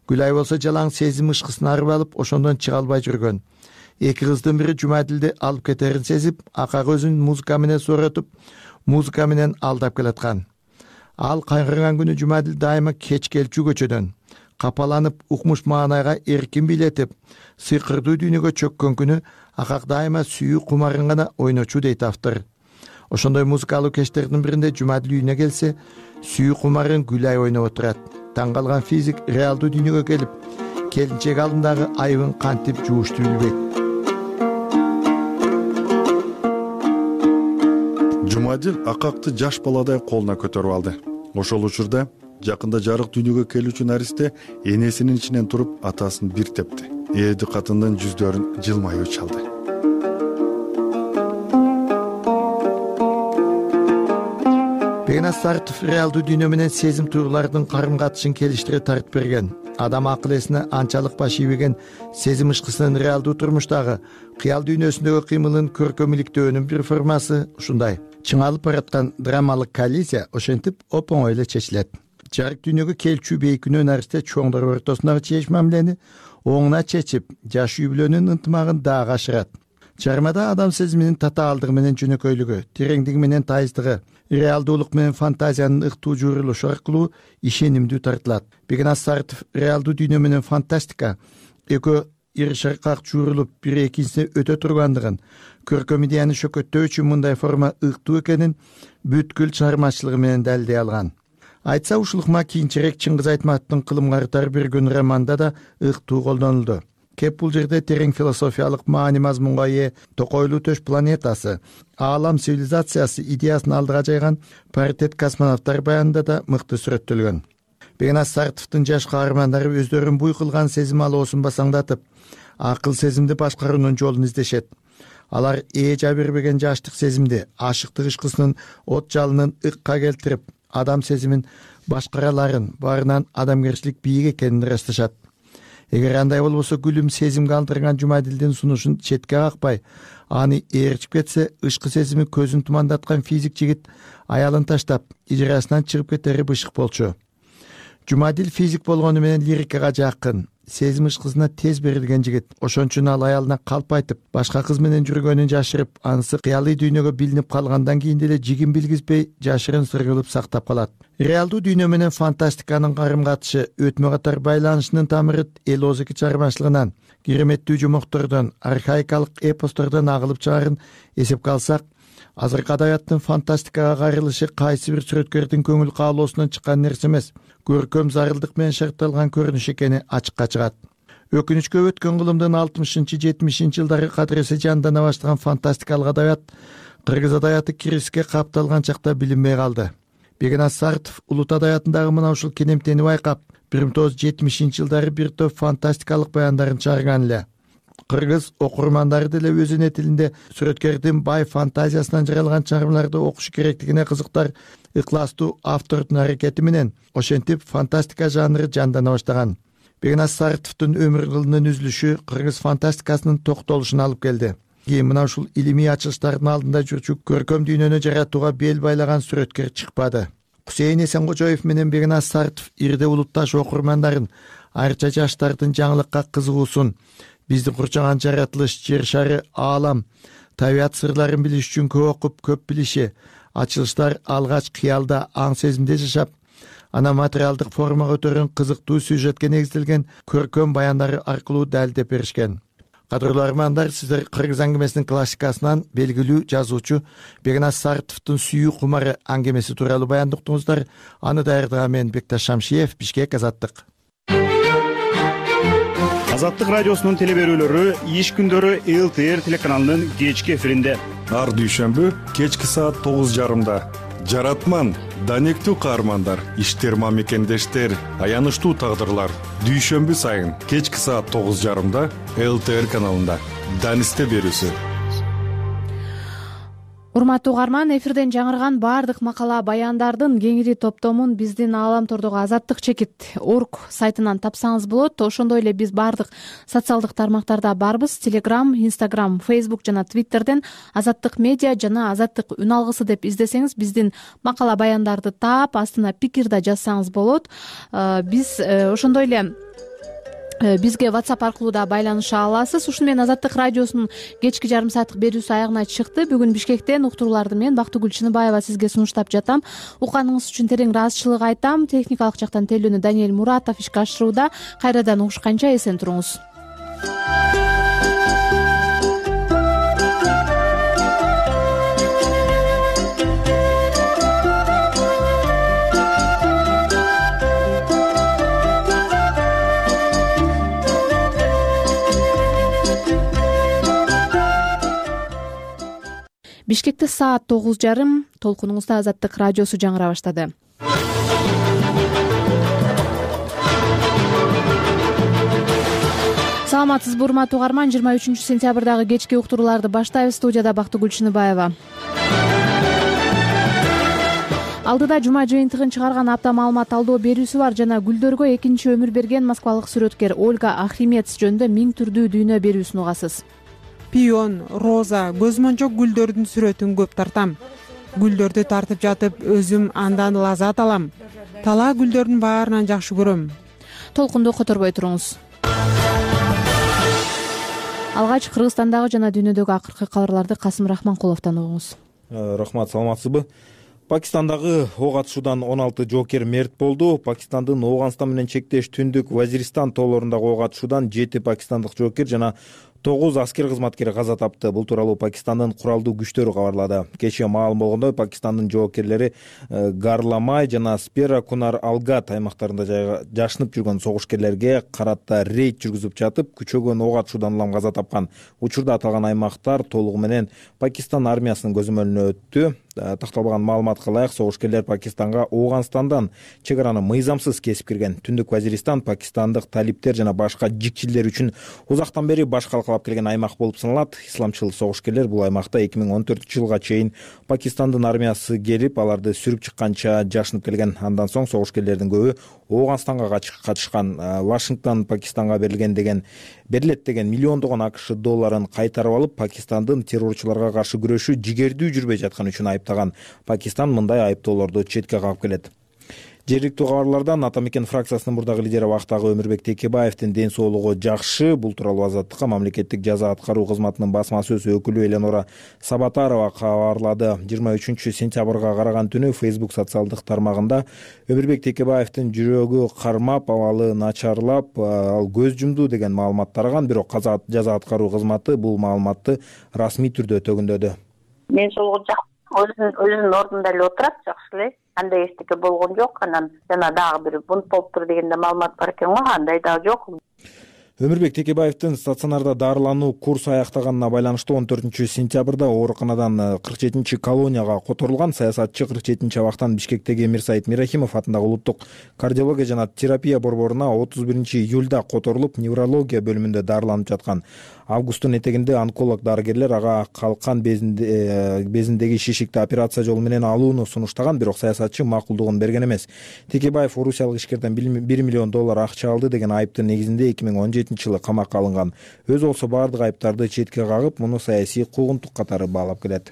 Гүлай болсо жалаң сезим ышкысын арып алып, ошондон чыга албай жүргөн. Эки кыздын бири Жумадилди алып кетерин сезип, акак өзүн музыка менен сооротуп, музыка менен алдап келаткан. Ал кайгырган күнү Жумадил дайыма кеч келчү көчөдөн. капаланып укмуш маанайга эркин бийлетип, сыйкырдуу дүйнөгө чөккөн күнү акак дайыма сүйүү кумарын гана ойночу дейт автор. Ошондой музыкалуу кечтердин биринде Жумадил үйүнө келсе, сүйүү кумарын Гүлай ойноп отурат. Таң калган физик реалдуу дүйнөгө келип, келинчек алдындагы айыбын кантип жуушту билбейт. Жумадил акакты жаш баладай колуна көтөрүп алды. Ошол учурда жакында жарык дүйнөгө келүүчү наристе энесинин ичинен туруп атасын бир тепти. Ээди катындын жүздөрүн жылмаюу чалды. Бегназ Сартов реалдуу дүйнө менен сезим туюлардын карым катышын келиштире тартып берген. Адам акыл эсине анчалык баш ийбеген сезим ышкысынын реалдуу турмуштагы кыял дүйнөсүндөгү кыймылын көркөмүлүктөөнүн бир формасы ушундай. Чыңалып бараткан драмалык коллизия ошентип оп-оңой эле чечилет. Жарык дүйнөгө келчү бейкүнөө наристе чоңдор ортосундагы чечиш мамилени оңуна чечип, жаш үй бүлөнүн ынтымагын дагы ашырат. Чармада адам сезиминин татаалдыгы менен жөнөкөйлүгү, тереңдиги менен тайыздыгы, реалдуулук менен фантазиянын ыктуу жуурулушу аркылуу ишенимдүү тартылат. Бегназ Сартов реалдуу дүйнө менен фантастика экөө ир шаркак жуурулуп бири экинчисине өтө тургандыгын, көркөм идеяны шөкөттөө үчүн мындай форма ыктуу экенин бүткүл чыгармачылыгы менен далилдей алган. Айтса ушулукма кийинчерээк Чыңгыз Айтматовдун Кылым картар бир күн романында да ыктуу колдонулду. Кеп бул жерде терең философиялык маани мазмунга ээ Токойлуу төш планетасы, аалам цивилизациясы идеясын алдыга жайган паритет космонавттар баянында да мыкты сүрөттөлгөн. Бегназ Сартовдун жаш каармандары өздөрүн буй кылган сезим алоосун басаңдатып, акыл сезимди башкаруунун жолун издешет. Алар ээ жа бербеген жаштык сезимди, ашыктык ышкысынын от жалынын ыкка келтирип, адам сезимин башкараларын, баарынан адамгерчилик бийик экенин ырасташат. Эгер андай болбосо, Гүлүм сезимге алдырган Жумадилдин сунушун четке какпай, аны ээрчип кетсе, ышкы сезими көзүн тумандаткан физик жигит аялын таштап, ижрасынан чыгып кетери бышык болчу. Жумадил физик болгону менен лирикага жакын, сезим ышкысына тез берилген жигит. Ошон үчүн ал аялына калп айтып, башка кыз менен жүргөнүн жашырып, анысы кыялый дүйнөгө билинип калгандан кийин деле жигин билгизбей, жашырын сыр кылып сактап калат. Реалдуу дүйнө менен фантастиканын карым катышы, өтмө катар байланышынын тамыры эл озеки чыгармачылыгынан, кереметтүү жомоктордон, архаикалык эпостордон агылып чыгарын эсепке алсак, азыркы адабияттын фантастикага кайрылышы кайсы бир сүрөткөрдүн көңүл каалоосунан чыккан нерсе эмес, көркөм зарылдык менен шартталган көрүнүш экени ачыкка чыгат. Өкүнүчкө өткөн кылымдын алтымышынчы жетимишинчи жылдары кадыресе жандана баштаган фантастикалык адабият кыргыз адабияты кризиске капталган чакта билинбей калды. Бегназ Сартов улут адабиятындагы мына ушул кенемтени байкап, бир миң тогуз жүз жетимишинчи жылдары бир топ фантастикалык баяндарын чыгарган эле. Кыргыз окурмандары деле өзүнүн тилинде сүрөткөрдүн бай фантазиясынан жаралган чыгармаларды окушу керектигине кызыктар ыкластуу автордун аракети менен ошентип фантастика жанры жандана баштаган. Бегназ Сартовдун өмүр кылынын үзүлүшү кыргыз фантастикасынын токтолушуна алып келди. Кийин мына ушул илимий ачылыштардын алдында жүрчү көркөм дүйнөнү жаратууга бел байлаган сүрөткөр чыкпады. Кусейин Эсенгожоев менен Бегназ Сартов ирде улутташ окурмандарын, айрыкча жаштардын жаңылыкка кызыгуусун, биздин курчаган жаратылыш, жер шары, аалам, табият сырларын билиш үчүн көп окуп, көп билиши, ачылыштар алгач кыялда, аң сезимде жашап, ана материалдык формага өтөргөн кызыктуу сюжетке негизделген көркөм баяндары аркылуу далилдеп беришкен. Кадырлуу армандар, сиздер кыргыз аңгемесинин классикасынан белгилүү жазуучу Бегназ Сартовдун Сүйүү кумары аңгемеси тууралуу баянды уктуңуздар. Аны даярдаган мен Бекташ Шамшиев, Бишкек, Азаттык. Азаттык радиосунун телеберүүлөрү иш күндөрү эл тэ эр телеканалынын кечки эфиринде. Ар дүйшөмбү кечки саат тогуз жарымда. Жаратман, данектүү каармандар, иштер мамекендештер, аянычтуу тагдырлар. Дүйшөмбү сайын кечки саат тогуз жарымда эл тэ эр каналында. Данисте берүүсү. Урматтуу угарман, эфирден жаңырган баардык макала баяндардын кеңири топтомун биздин Ааламтордогу Азаттык чекит орг сайтынан тапсаңыз болот. Ошондой эле биз баардык социалдык тармактарда барбыз. Telegram, Instagram, Facebook жана Twitterден Азаттык медиа жана Азаттык үн алгысы деп издесеңиз биздин макала баяндарды таап, астына пикир да жазсаңыз болот. Биз ошондой эле бизге WhatsApp аркылуу да байланыша аласыз. Ушуну менен Азаттык радиосунун кечки жарым сааттык берүүсү аягына чыкты. Бүгүн Бишкектен уктурууларды мен Бактыгүл Чыныбаева сизге сунуштап жатам. Укканыңыз үчүн терең ыраазычылык айтам. Техникалык жактан тейлөөнү Даниэль Муратов ишке ашырууда. Кайрадан угушканча эсен туруңуз. Бишкекте саат тогуз жарым. Толкунуңузда Азаттык радиосу жаңыра баштады. Саламатсызбы урматтуу угарман, жыйырма үчүнчү сентябрдагы кечки уктурууларды баштайбыз. Студияда Бактыгүл Чыныбаева. Алдыда жума жыйынтыгын чыгарган апта маалымат алдоо берүүсү бар жана гүлдөргө экинчи өмүр берген москвалык сүрөткер Ольга Ахримец жөнүндө миң түрдүү дүйнө берүүсүн угасыз. Пион, роза, көзмончок гүлдөрдүн сүрөтүн көп тартам. Гүлдөрдү тартып жатып, өзүм андан лаззат алам. Талаа гүлдөрдүн баарынан жакшы көрөм. Толкунду которбой туруңуз. Алгач Кыргызстандагы жана дүйнөдөгү акыркы кабарларды Касым Рахманкуловдон угуңуз. Рахмат, саламатсызбы? Пакистандагы ок атышуудан он алты жоокер мерт болду. Пакистандын Ооганстан менен чектеш түндүк Вазиристан тоолорундагы ок атышуудан жети пакистандык жоокер жана тогуз аскер кызматкери каза тапты. Бул тууралуу Пакистандын куралдуу күчтөрү кабарлады. Кечээ маалым болгондой, Пакистандын жоокерлери Гарламай жана Спера Кунар Алгат аймактарында жашынып жүргөн согушкерлерге карата рейд жүргүзүп жатып, күчөгөн ок атышуудан улам каза тапкан. Учурда аталган аймактар толугу менен Пакистан армиясынын көзөмөлүнө өттү. Такталган маалыматка ылайык, согушкерлер Пакистанга Ооганстандан чек араны мыйзамсыз кесип кирген. Түндүк Вазиристан пакистандык талиптер жана башка жикчилдер үчүн узактан бери баш калкалап келген аймак болуп саналат. Исламчыл согушкерлер бул аймакта эки миң он төртүнчү жылга чейин Пакистандын армиясы келип, аларды сүрүп чыкканча жашынып келген. Андан соң согушкерлердин көбү Ооганстанга катышкан. Вашингтон Пакистанга берилген деген берилет деген миллиондогон АКШ долларын кайтарып алып, Пакистандын террорчуларга каршы күрөшү жигердүү жүрбөй жаткан үчүн айыптаган. Пакистан мындай айыптоолорду четке кагып келет. Жергиликтүү кабарлардан Ата мекен фракциясынын мурдагы лидери Вактагы Өмүрбек Текебаевдин ден соолугу жакшы. Бул тууралуу Азаттыкка мамлекеттик жаза аткаруу кызматынын басма сөз өкүлү Эленора Сабатарова кабарлады. жыйырма үчүнчү сентябрга караган түнү Facebook социалдык тармагында Өмүрбек Текебаевдин жүрөгү кармап, абалы начарлап, ал көз жумду деген маалымат тараган. Бирок жаза аткаруу кызматы бул маалыматты расмий түрдө төгүндөдү. Мен соолугу жакшы, өзүнүн ордунда эле отурат, жакшы эле. Андай эчтеке болгон жок. Анан жана дагы бир бунт болуптур дегенде маалымат бар экен го, андай дагы жок. Өмүрбек Текебаевдин стационарда дарылануу курсу аяктаганына байланыштуу он төртүнчү сентябрда ооруканадан кырк жетинчи колонияга которулган. Саясатчы кырк жетинчи абактан Бишкектеги Мирсайыт Мирахимов атындагы улуттук кардиология жана терапия борборуна отуз биринчи июлда которулуп, неврология бөлүмүндө дарыланып жаткан. Августтун этегинде онколог дарыгерлер ага калкан безиндеги шишикти операция жолу менен алууну сунуштаган, бирок саясатчы макулдугун берген эмес. Текебаев орусиялык ишкерден бир миллион доллар акча алды деген айыптын негизинде эки миң он жетинчи жылы камакка алынган. Өзү болсо баардык айыптарды четке кагып, муну саясий куугунтук катары баалап келет.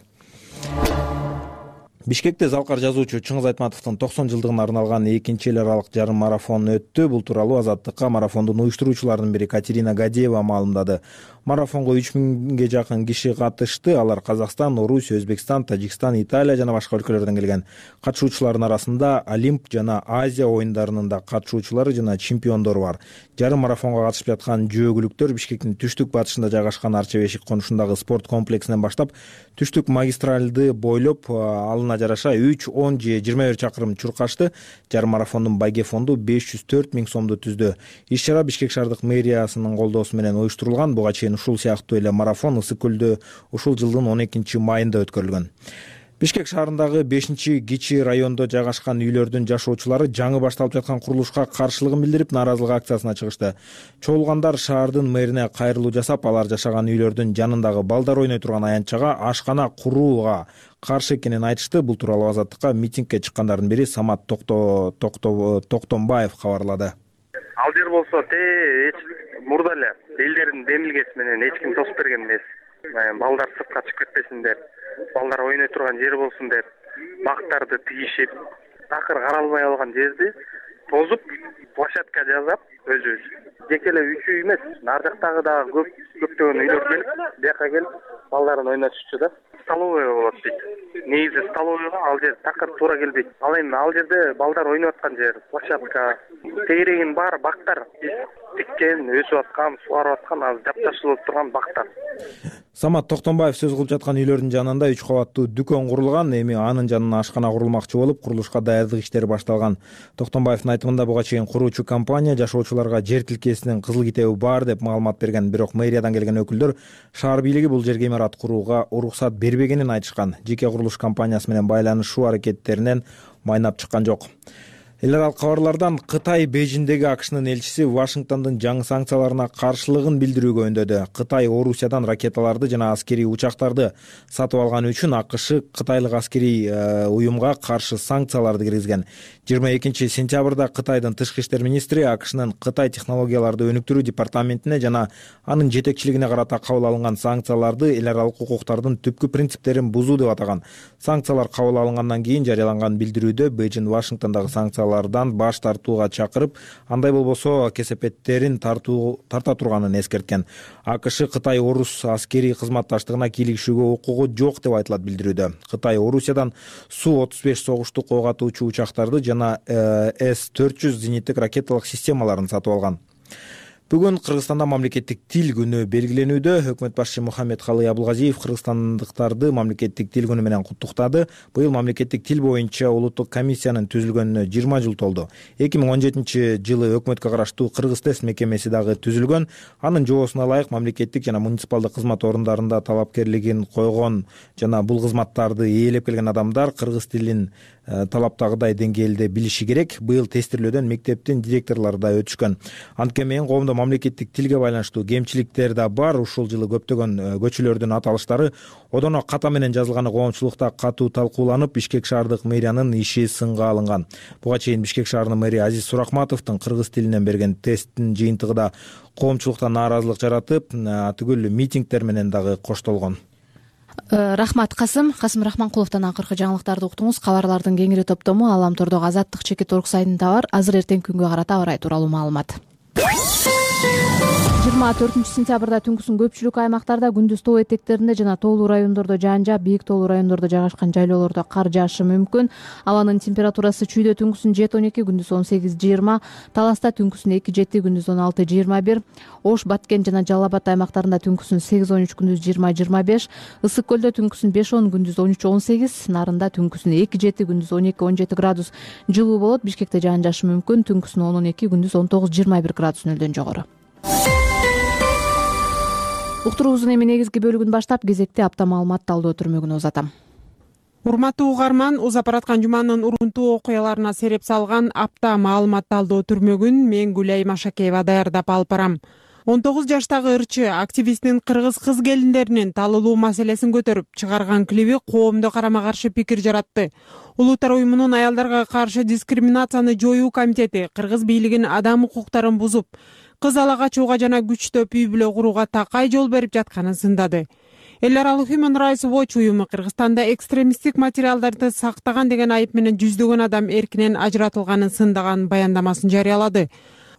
Бишкекте Залкар жазуучу Чыңгыз Айтматовдун токсон жылдыгына арналган экинчи эл аралык жарым марафон өттү. Бул тууралуу Азаттыкка марафондун уюштуруучуларынын бири Катерина Гадеева маалымдады. Марафонго үч миңге жакын киши катышты. Алар Казакстан, Орусия, Өзбекстан, Тажикстан, Италия жана башка өлкөлөрдөн келген. Катышуучулардын арасында Олимп жана Азия оюндарынын да катышуучулары жана чемпиондору бар. Жарым марафонго катышып жаткан жөөгүлүктөр Бишкектин түштүк батышында жайгашкан Арча Бешик конушундагы спорт комплексинен баштап, түштүк магистральды бойлоп, алына жараша үч, он же жыйырма бир чакырым чуркашты. Жарым марафондун байге фонду беш жүз төрт миң сомду түздү. Иш-чара Бишкек шаардык мэриясынын колдоосу менен уюштурулган. Буга чейин ушул сыяктуу эле марафон Ысык көлдө ушул жылдын он экинчи майында өткөрүлгөн. Бишкек шаарындагы бешинчи кичи райондо жайгашкан үйлөрдүн жашоочулары жаңы башталып жаткан курулушка каршылыгын билдирип, нааразылык акциясына чыгышты. Чогулгандар шаардын мэрине кайрылуу жасап, алар жашаган үйлөрдүн жанындагы балдар ойной турган аянтчага ашкана курууга каршы экенин айтышты. Бул тууралуу Азаттыкка митингге чыккандардын бири Самат Токтомбаев кабарлады. Ал жер болсо эч мурда эле элдердин демилгеси менен эч ким тосуп берген эмес. Балдар сыртка чыгып кетпесиндер, балдар ойной турган жер болсун деп бактарды тигишип, такыр каралбай алган жерди тозуп площадка жасап өзүбүз жеке эле үч үй эмес, ар жактагы дагы көп көптөгөн үйлөр келип, бияка келип балдарын ойнотушчу да. Столовый болот дейт. Негизи столовыйга ал жер такыр туура келбейт. Ал эми ал жерде балдар ойноп аткан жер, площадка, тегерегинин баары бактар. Тиккен, өсүп аткан, сугарып аткан, азыр жапташылып турган бактар. Самат Токтомбаев сөз кылып жаткан үйлөрдүн жанында үч кабаттуу дүкөн курулган, эми анын жанына ашкана курулмакчы болуп, курулушка даярдык иштери башталган. Токтомбаевдин айтымында буга чейин куруучу компания жашоочуларга жер тилкесинин кызыл китеби бар деп маалымат берген, бирок мэриядан келген өкүлдөр шаар бийлиги бул жерге имарат курууга уруксат бербегенин айтышкан. Жеке курулуш компаниясы менен байланышуу аракеттеринен майнап чыккан жок. Эл аралык кабарлардан Кытай Бейжиңдеги АКШнын элчиси Вашингтондун жаңы санкцияларына каршылыгын билдирүүгө үндөдү. Кытай Орусиядан ракеталарды жана аскерий учактарды сатып алганы үчүн АКШ кытайлык аскерий уюмга каршы санкцияларды киргизген. жыйырма экинчи сентябрда Кытайдын тышкы иштер министри АКШнын Кытай технологияларды өнүктүрүү департаментине жана анын жетекчилигине карата кабыл алынган санкцияларды эл аралык укуктардын түпкү принциптерин бузуу деп атаган. Санкциялар кабыл алынгандан кийин жарыяланган билдирүүдө Бейжиң Вашингтондогу санкциялардан баш тартууга чакырып, андай болбосо кесепеттерин тартуу тарта турганын эскерткен. АКШ Кытай Орус аскерий кызматташтыгына кийлигишүүгө укугу жок деп айтылат билдирүүдө. Кытай Орусиядан Су отуз беш согуштук ок атуучу учактарды жана С төрт жүз зениттик ракеталык системаларын сатып алган. Бүгүн Кыргызстанда мамлекеттик тил күнү белгиленүүдө. Өкмөт башчы Мухаммедкалый Абылгазиев кыргызстандыктарды мамлекеттик тил күнү менен куттуктады. Быйыл мамлекеттик тил боюнча улуттук комиссиянын түзүлгөнүнө жыйырма жыл толду. эки миң он жетинчи жылы өкмөткө караштуу Кыргыз тест мекемеси дагы түзүлгөн. Анын жоосуна ылайык мамлекеттик жана муниципалдык кызмат орундарында талапкерлигин койгон жана бул кызматтарды ээлеп келген адамдар кыргыз тилин талаптагыдай деңгээлде билиши керек. Быйыл тестирлөөдөн мектептин директорлору да өтүшкөн. Анткени менен коомдо мамлекеттик тилге байланыштуу кемчиликтер да бар. Ушул жылы көптөгөн көчөлөрдүн аталыштары одоно ката менен жазылганы коомчулукта катуу талкууланып, Бишкек шаардык мэриянын иши сынга алынган. Буга чейин Бишкек шаарынын мэри Азиз Суракматовдун кыргыз тилинен берген тесттин жыйынтыгы да коомчулукта нааразылык жаратып, түгүл митингдер менен дагы коштолгон. Рахмат Касым. Касым Рахманкуловдон акыркы жаңылыктарды уктуңуз. Кабарлардын кеңири топтому Аламтордогу Азаттык чекит орг сайтында бар. Азыр эртеңки күнгө карата аба ырайы тууралуу маалымат. жыйырма төртүнчү сентябрда түнкүсүн көпчүлүк аймактарда, күндүз тоо этектеринде жана тоолуу райондордо жаан жаап, бийик тоолуу райондордо жайгашкан жайлоолордо кар жаашы мүмкүн. Абанын температурасы чүйдө түнкүсүн жети он эки, күндүз он сегиз жыйырма, Таласта түнкүсүн эки жети, күндүз он алты жыйырма бир, Ош, Баткен жана Жалал Абад аймактарында түнкүсүн сегиз он үч, күндүз жыйырма жыйырма беш, Ысык көлдө түнкүсүн беш он, күндүз он үч он сегиз, Нарында түнкүсүн эки жети, күндүз он эки он жети градус жылуу болот. Бишкекте жаан жаашы мүмкүн, түнкүсүн он он эки, күндүз он тогуз жыйырма бир градус нөлдөн жогору. Уктуруубуздун эми негизги бөлүгүн баштап, кезекте апта маалымат талдоо түрмөгүнө узатам. Урматтуу угарман, узап бараткан жуманын урунтуу окуяларына сереп салган апта маалымат талдоо түрмөгүн мен Гүлай Машакеева даярдап алып барам. он тогуз жаштагы ырчы активисттин кыргыз кыз келиндеринин талылуу маселесин көтөрүп чыгарган клиби коомдо карама каршы пикир жаратты. Улуттар уюмунун аялдарга каршы дискриминацияны жоюу комитети кыргыз бийлигин адам укуктарын бузуп, кыз ала качууга жана күчтөп үй бүлө курууга такай жол берип жатканын сындады. Эл аралык Human Rights Watch уюму Кыргызстанда экстремисттик материалдарды сактаган деген айып менен жүздөгөн адам эркинен ажыратылганын сындаган баяндамасын жарыялады.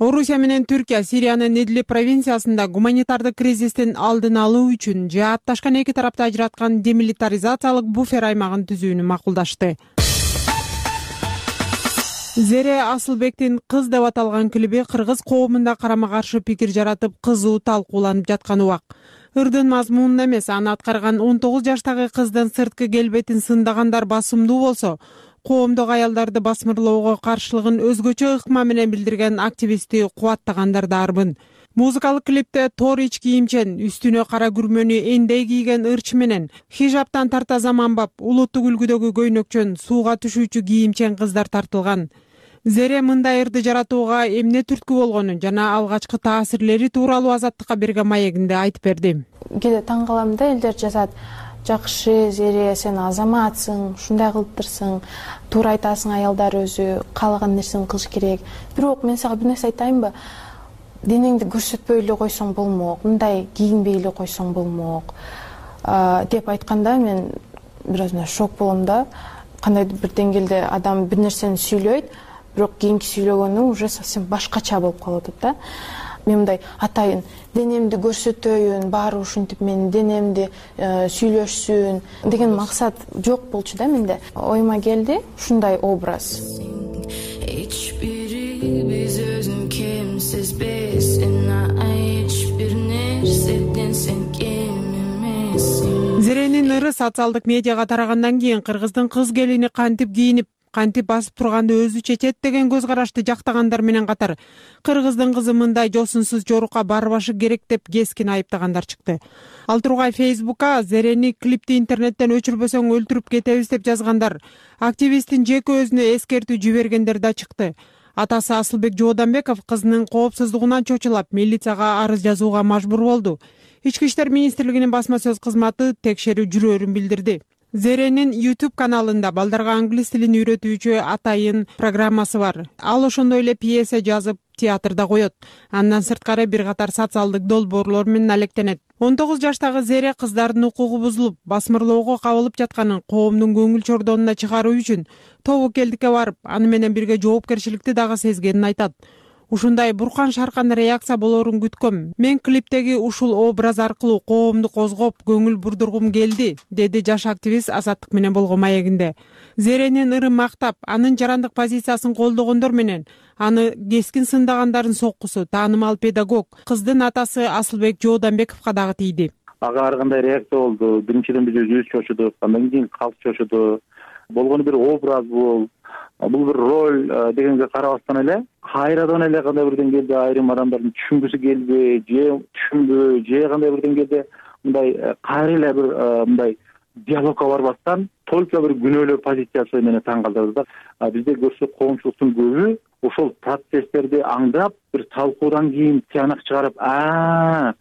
Орусия менен Түркия Сириянын Идлиб провинциясында гуманитардык кризистин алдын алуу үчүн жаатташкан эки тарапты ажыраткан демилитаризациялык буфер аймагын түзүүнү макулдашты. Зере Асылбектин кыз деп аталган клиби кыргыз коомунда карама каршы пикир жаратып, кызуу талкууланып жаткан убак. Ырдын мазмунун эмес, аны аткарган он тогуз жаштагы кыздын сырткы келбетин сындагандар басымдуу болсо, коомдогу аялдарды басмырлоого каршылыгын өзгөчө ыкма менен билдирген активистти кубаттагандар да арбын. Музыкалык клипте тор ич кийимчен, үстүнө кара күрмөнү эндей кийген ырч менен хижаптан тарта заманбап, улуттук үлгүдөгү көйнөкчөн, сууга түшүүчү кийимчен кыздар тартылган. Зере мындай ырды жаратууга эмне түрткү болгонун жана алгачкы таасирлери тууралуу Азаттыкка берген маегинде айтып берди. Кээде таң калам да, элдер жазат: жакшы Зере, сен азаматсың, ушундай кылыптырсың, туура айтасың, аялдар өзү каалаган нерсени кылыш керек. Бирок мен сага бир нерсе айтайынбы? Денеңди көрсөтпөй эле койсоң болмок, мындай кийинбей эле койсоң болмок деп айтканда мен бир өзүнө шок болом да. Кандайдыр бир деңгээлде адам бир нерсени сүйлөйт, бирок кийинки сүйлөгөнү уже совсем башкача болуп калып атат да. Мен мындай атайын денемди көрсөтөйүн, баары ушинтип менин денемди сүйлөшсүн деген максат жок болчу да менде. Оюма келди ушундай образ. Эч бири биз өзүн кемсиз бесин, эч бир нерседен сен кем эмессиң. Зеренин ыры социалдык медиага тарагандан кийин кыргыздын кыз келини кантип кийинип, кантип басып турганды өзү чечет деген көз карашты жактагандар менен катар кыргыздын кызы мындай жосунсуз жорукка барбашы керек деп кескин айыптагандар чыкты. Ал тургай Фейсбукка Зерени клипти интернеттен өчүрбөсөң өлтүрүп кетебиз деп жазгандар, активисттин жеке өзүнө эскертүү жибергендер да чыкты. Атасы Асылбек Жооданбеков кызынын коопсуздугунан чочулап милицияга арыз жазууга мажбур болду. Ички иштер министрлигинин басма сөз кызматы текшерүү жүрөөрүн билдирди. Зеренин YouTube каналында балдарга англис тилин үйрөтүүчү атайын программасы бар. Ал ошондой эле пьеса жазып, театрда коет. Андан сырткары бир катар социалдык долбоорлор менен алектенет. он тогуз жаштагы Зере кыздардын укугу бузулуп, басмырлоого кабылып жатканын коомдун көңүл чордонуна чыгаруу үчүн тобокелдикке барып, аны менен бирге жоопкерчиликти дагы сезгенин айтат. Ушундай буркан шаркан реакция болоорун күткөм. Мен клиптеги ушул образ аркылуу коомду козгоп, көңүл бурдургум келди, деди жаш активист Азаттык менен болгон маегинде. Зеренин ырын мактап, анын жарандык позициясын колдогондор менен аны кескин сындагандардын соккусу таанымал педагог кыздын атасы Асылбек Жооданбековго дагы тийди. Ага ар кандай реакция болду. Биринчиден биз өзүбүз чочудук, андан кийин калк чочуду. Болгону бир образ бул. Бул бир роль дегенге карабастан эле кайрадан эле кандай бир деңгээлде айрым адамдардын түшүнгүсү келби, же түшүнбү, же кандай бир деңгээлде мындай кайра эле бир мындай диалогко барбастан только бир күнөөлөө позициясы менен таң калтырды да. Бизде көрсөк коомчулуктун көбү ошол процесстерди аңдап, бир талкуудан кийин тыянак чыгарып, а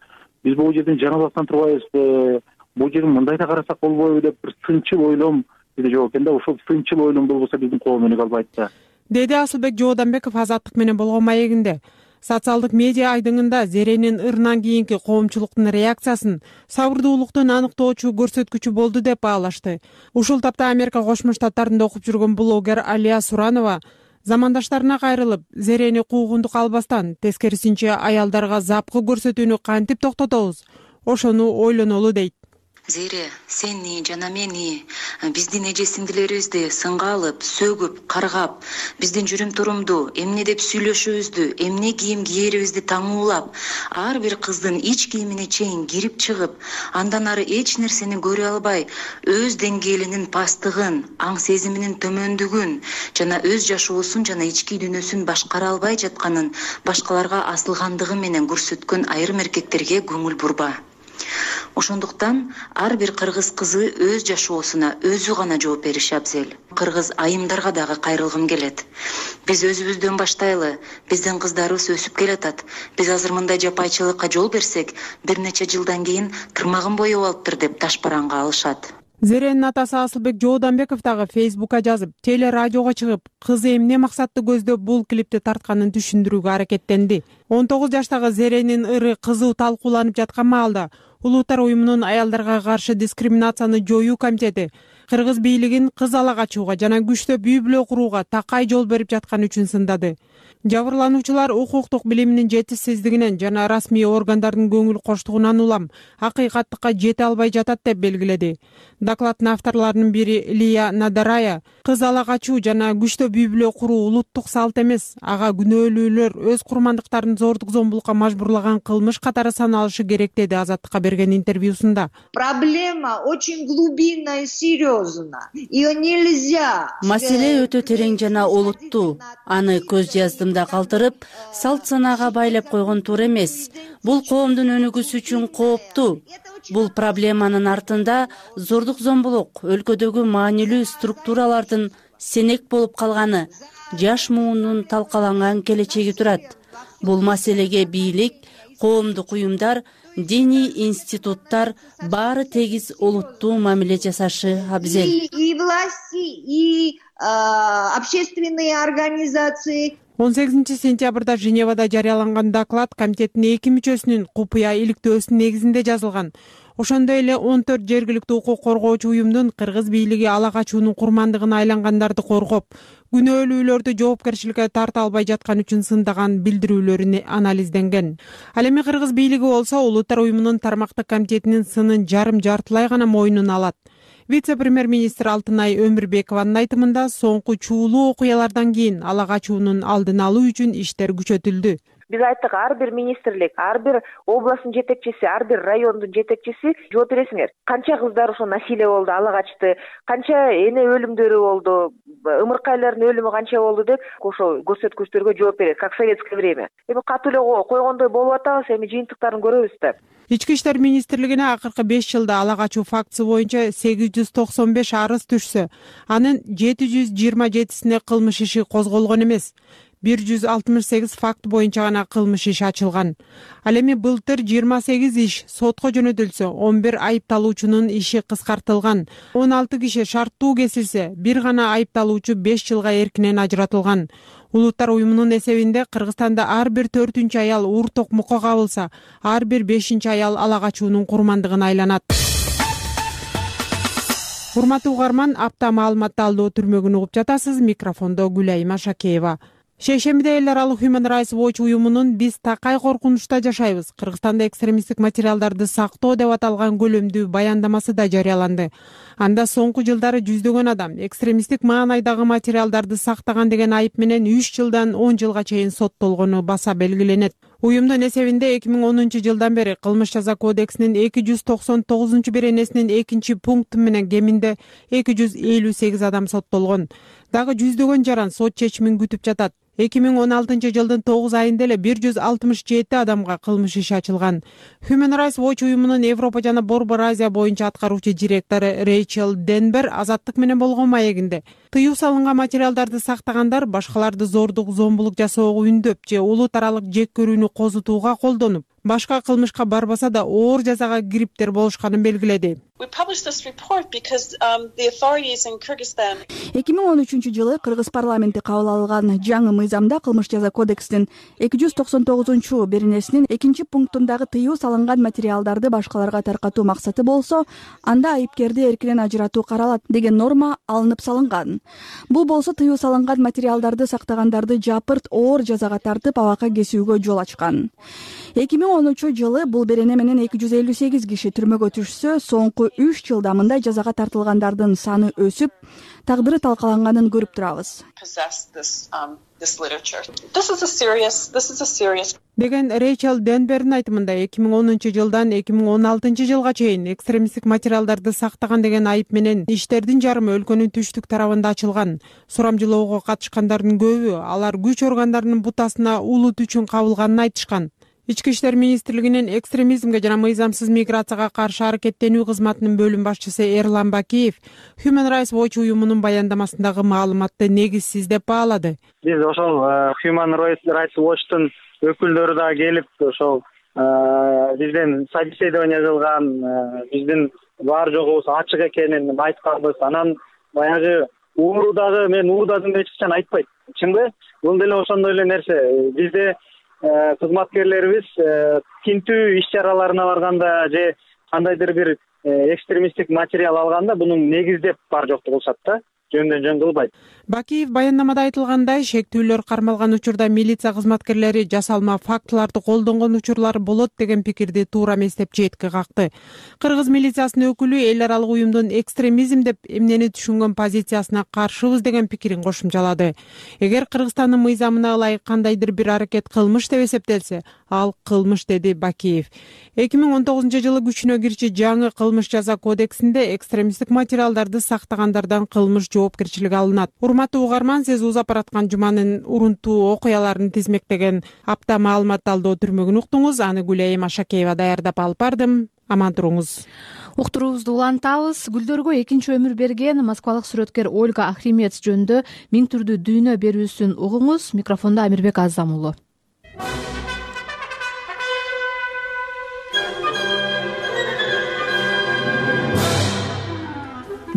биз бул жерден жаңылбастан турбайбызбы, бул жерин мындай да карасак болбойбу деп бир сынчыл ойлом биде жок экен да. Ошол сынчыл ойлом болбосо биздин коом өнүгө албайт да, деди Асылбек Жооданбеков Азаттык менен болгон маегинде. Социалдык медиа айдыңында Зеренин ырынан кийинки коомчулуктун реакциясын сабырдуулуктун аныктоочу көрсөткүчү болду деп баалашты. Ушул тапта Америка Кошмо Штаттарында окуп жүргөн блогер Алия Суранова замандаштарына кайрылып, Зерени куугунтук албастан, тескерисинче аялдарга запкы көрсөтүүнү кантип токтотобуз, ошону ойлонолу дейт. Зере, сени жана мени, биздин эже сиңдилерибизди сынга алып, сөгүп, каргап, биздин жүрүм турумду, эмне деп сүйлөшүүбүздү, эмне кийим кийерибизди таңуулап, ар бир кыздын ич кийимине чейин кирип чыгып, андан ары эч нерсени көрө албай, өз деңгээлинин пасттыгын, аң сезиминин төмөндүгүн жана өз жашоосун жана ички дүйнөсүн башкара албай жатканын башкаларга асылгандыгы менен көрсөткөн айрым эркектерге көңүл бурба. Ошондуктан ар бир кыргыз кызы өз жашоосуна өзү гана жооп бериши абзел. Кыргыз айымдарга дагы кайрылгым келет. Биз өзүбүздөн баштайлы, биздин кыздарыбыз өсүп келатат. Биз азыр мындай жапайчылыкка жол берсек, бир нече жылдан кийин тырмагын боеп алыптыр деп ташбаранга алышат. Зеренин атасы Асылбек Жооданбеков дагы Фейсбукка жазып, телерадиого чыгып, кызы эмне максатты көздөп бул клипти тартканын түшүндүрүүгө аракеттенди. он тогуз жаштагы Зеренин ыры кызуу талкууланып жаткан маалда Улуттар уюмунун аялдарга каршы дискриминацияны жоюу комитети кыргыз бийлигин кыз ала качууга жана күчтөп үй бүлө курууга такай жол берип жатканы үчүн сындады. Жабырлануучулар укуктук билиминин жетишсиздигинен жана расмий органдардын көңүл коштугунан улам акыйкаттыкка жете албай жатат деп белгиледи. Докладдын авторлорунун бири Лия Надарая кыз ала качуу жана күчтөп үй бүлө куруу улуттук салт эмес, ага күнөөлүүлөр өз курмандыктарын зордук зомбулукка мажбурлаган кылмыш катары саналышы керек, деди Азаттыкка берген интервьюсунда. Проблема очень глубинная и серьезная. Ее нельзя. Маселе өтө терең жана олуттуу. Аны көз жаздымда калтырып, салт санаага байлап койгон туура эмес. Бул коомдун өнүгүүсү үчүн кооптуу. Бул проблеманын артында зордук зомбулук, өлкөдөгү маанилүү структуралардын сенек болуп калганы, жаш муунун талкаланган келечеги турат. Бул маселеге бийлик, коомдук уюмдар, диний институттар баары тегиз олуттуу мамиле жасашы абзел. И власти, и общественные организации. он сегизинчи сентябрда Женевада жарыяланган доклад комитеттин эки мүчөсүнүн купуя иликтөөсүнүн негизинде жазылган. Ошондой эле он төрт жергиликтүү укук коргоочу уюмдун кыргыз бийлиги ала качуунун курмандыгына айлангандарды коргоп, күнөөлүүлөрдү жоопкерчиликке тарта албай жаткан үчүн сындаган билдирүүлөр анализденген. Ал эми Кыргыз бийлиги болсо Улуттар уюмунун тармактык комитетинин сынын жарым жартылай гана мойнуна алат. Вице-премьер-министр Алтынай Өмүрбекованын айтымында соңку чуулуу окуялардан кийин ала качуунун алдын алуу үчүн иштер күчөтүлдү. Биз айттык, ар бир министрлик, ар бир областтын жетекчиси, ар бир райондун жетекчиси жооп бересиңер. Канча кыздар ошо насилие болду, ала качты, канча эне өлүмдөрү болду, ымыркайлардын өлүмү канча болду деп ошо көрсөткүчтөргө жооп берет, как в советское время. Эми катуу эле койгондой болуп атабыз, эми жыйынтыктарын көрөбүз да. Ички иштер министрлигине акыркы беш жылда ала качуу фактысы боюнча сегиз жүз токсон беш арыз түшсө, анын жети жүз жыйырма жетисине кылмыш иши козголгон эмес. бир жүз алтымыш сегиз факт боюнча гана кылмыш иш ачылган. Ал эми былтыр жыйырма сегиз иш сотко жөнөтүлсө, он бир айыпталуучунун иши кыскартылган. он алты киши шарттуу кесилсе, бир гана айыпталуучу беш жылга эркинен ажыратылган. Улуттар уюмунун эсебинде Кыргызстанда ар бир төртүнчү аял уур токмокко кабылса, ар бир бешинчи аял ала качуунун курмандыгына айланат. Урматтуу угарман, апта маалымат талдоо түрмөгүн угуп жатасыз. Микрофондо Гүлай Машакеева. Шейшембиде эл аралык Human Rights Watch уюмунун «Биз такай коркунучта жашайбыз. Кыргызстанда экстремисттик материалдарды сактоо» деп аталган көлөмдүү баяндамасы да жарыяланды. Анда соңку жылдары жүздөгөн адам экстремисттик маанайдагы материалдарды сактаган деген айып менен үч жылдан он жылга чейин соттолгону баса белгиленет. Уюмдун эсебинде эки миң онунчу жылдан бери кылмыш жаза кодексинин эки жүз токсон тогузунчу беренесинин экинчи пункту менен кеминде эки жүз элүү сегиз адам соттолгон. Дагы жүздөгөн жаран сот чечимин күтүп жатат. эки миң он алтынчы жылдын тогуз айында эле бир жүз алтымыш жети адамга кылмыш иши ачылган. Human Rights Watch уюмунун Европа жана Борбор Азия боюнча аткаруучу директору Рейчел Денбер Азаттык менен болгон маегинде тыюу салынган материалдарды сактагандар башкаларды зордук, зомбулук жасоого үндөп же улут аралык жек көрүүнү козутууга колдонуп, башка кылмышка барбаса да оор жазага кириптер болушканын белгиледи. эки миң он үчүнчү жылы Кыргыз парламенти кабыл алган жаңы мыйзамда кылмыш жаза кодексинин эки жүз токсон тогузунчу беренесинин экинчи пунктундагы тыюу салынган материалдарды башкаларга таркатуу максаты болсо, анда айыпкерди эркинен ажыратуу каралат деген норма алынып салынган. Бул болсо тыюу салынган материалдарды сактагандарды жапырт оор жазага тартып абакка кесүүгө жол ачкан. эки миң онунчу жылы бул берене менен эки жүз элүү сегиз киши түрмөгө түшсө, соңку үч жылда мындай жазага тартылгандардын саны өсүп, тагдыры талкаланганын көрүп турабыз. деген Рейчел Денбердин айтымында эки миң онунчу жылдан эки миң он алтынчы жылга чейин экстремисттик материалдарды сактаган деген айып менен иштердин жарымы өлкөнүн түштүк тарабында ачылган. Сурамжылоого катышкандардын көбү алар күч органдарынын бутасына улут үчүн кабылганын айтышкан. Ички иштер министрлигинин экстремизмге жана мыйзамсыз миграцияга каршы аракеттенүү кызматынын бөлүм башчысы Эрлан Бакиев Human Rights Watch уюмунун баяндамасындагы маалыматты негизсиз деп баалады. Биз ошол Human Rights Watch'тун өкүлдөрү да келип, ошол бизден собеседование кылган, биздин бар жогубуз ачык экенин айтканбыз. Анан баягы уурудагы мен уурдадым деп эч качан айтпайт. Чынбы? Бул деле ошондой эле нерсе. Бизде кызматкерлерибиз тинтүү иш чараларына барганда же кандайдыр бир экстремисттик материал алганда мунун негиздеп бар жокту кылышат да, жөндөн жөн кылбайт. Бакиев баяндамада айтылгандай, шектүүлөр кармалган учурда милиция кызматкерлери жасалма фактыларды колдонгон учурлар болот деген пикирди туура эмес деп четке какты. Кыргыз милициясынын өкүлү эл аралык уюмдун экстремизм деп эмнени түшүнгөн позициясына каршыбыз деген пикирин кошумчалады. Эгер Кыргызстандын мыйзамына ылайык кандайдыр бир аракет кылмыш деп эсептелсе, ал кылмыш, деди Бакиев. эки миң он тогузунчу жылы күчүнө кирчү жаңы кылмыш жаза кодексинде экстремисттик материалдарды сактагандардан кылмыш жоопкерчилиги алынат. Урматтуу угарман, сиз узап бараткан жуманын урунтуу окуяларын тизмектеген апта маалымат талдоо түрмөгүн уктуңуз. Аны Гүлай Машакеева даярдап алып бардым. Аман туруңуз. Уктуруубузду улантабыз. Гүлдөргө экинчи өмүр берген москвалык сүрөткер Ольга Ахримец жөнүндө миң түрдүү дүйнө берүүсүн угуңуз. Микрофондо Амирбек Азам уулу.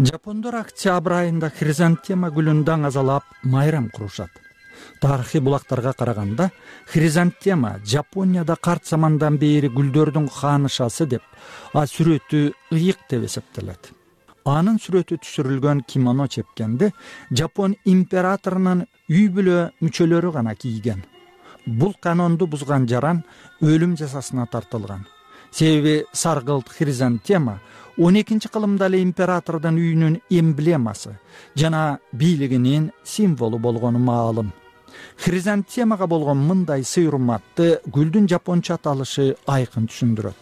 Жапондор октябрь айында хризантема гүлүн даңазалап майрам курушат. Тарыхый булактарга караганда хризантема Жапонияда карт замандан бери гүлдөрдүн хаанышасы деп, а сүрөтү ыйык деп эсептелет. анын сүрөтү түшүрүлгөн кимоно чепкенди Жапон императорунун үй бүлө мүчөлөрү гана кийген. Бул канонду бузган жаран өлүм жазасына тартылган. Себеби саргылт хризантема он экинчи кылымда эле императордун үйүнүн эмблемасы жана бийлигинин символу болгону маалым. Хризантемага болгон мындай сый урматты гүлдүн жапонча аталышы айкын түшүндүрөт.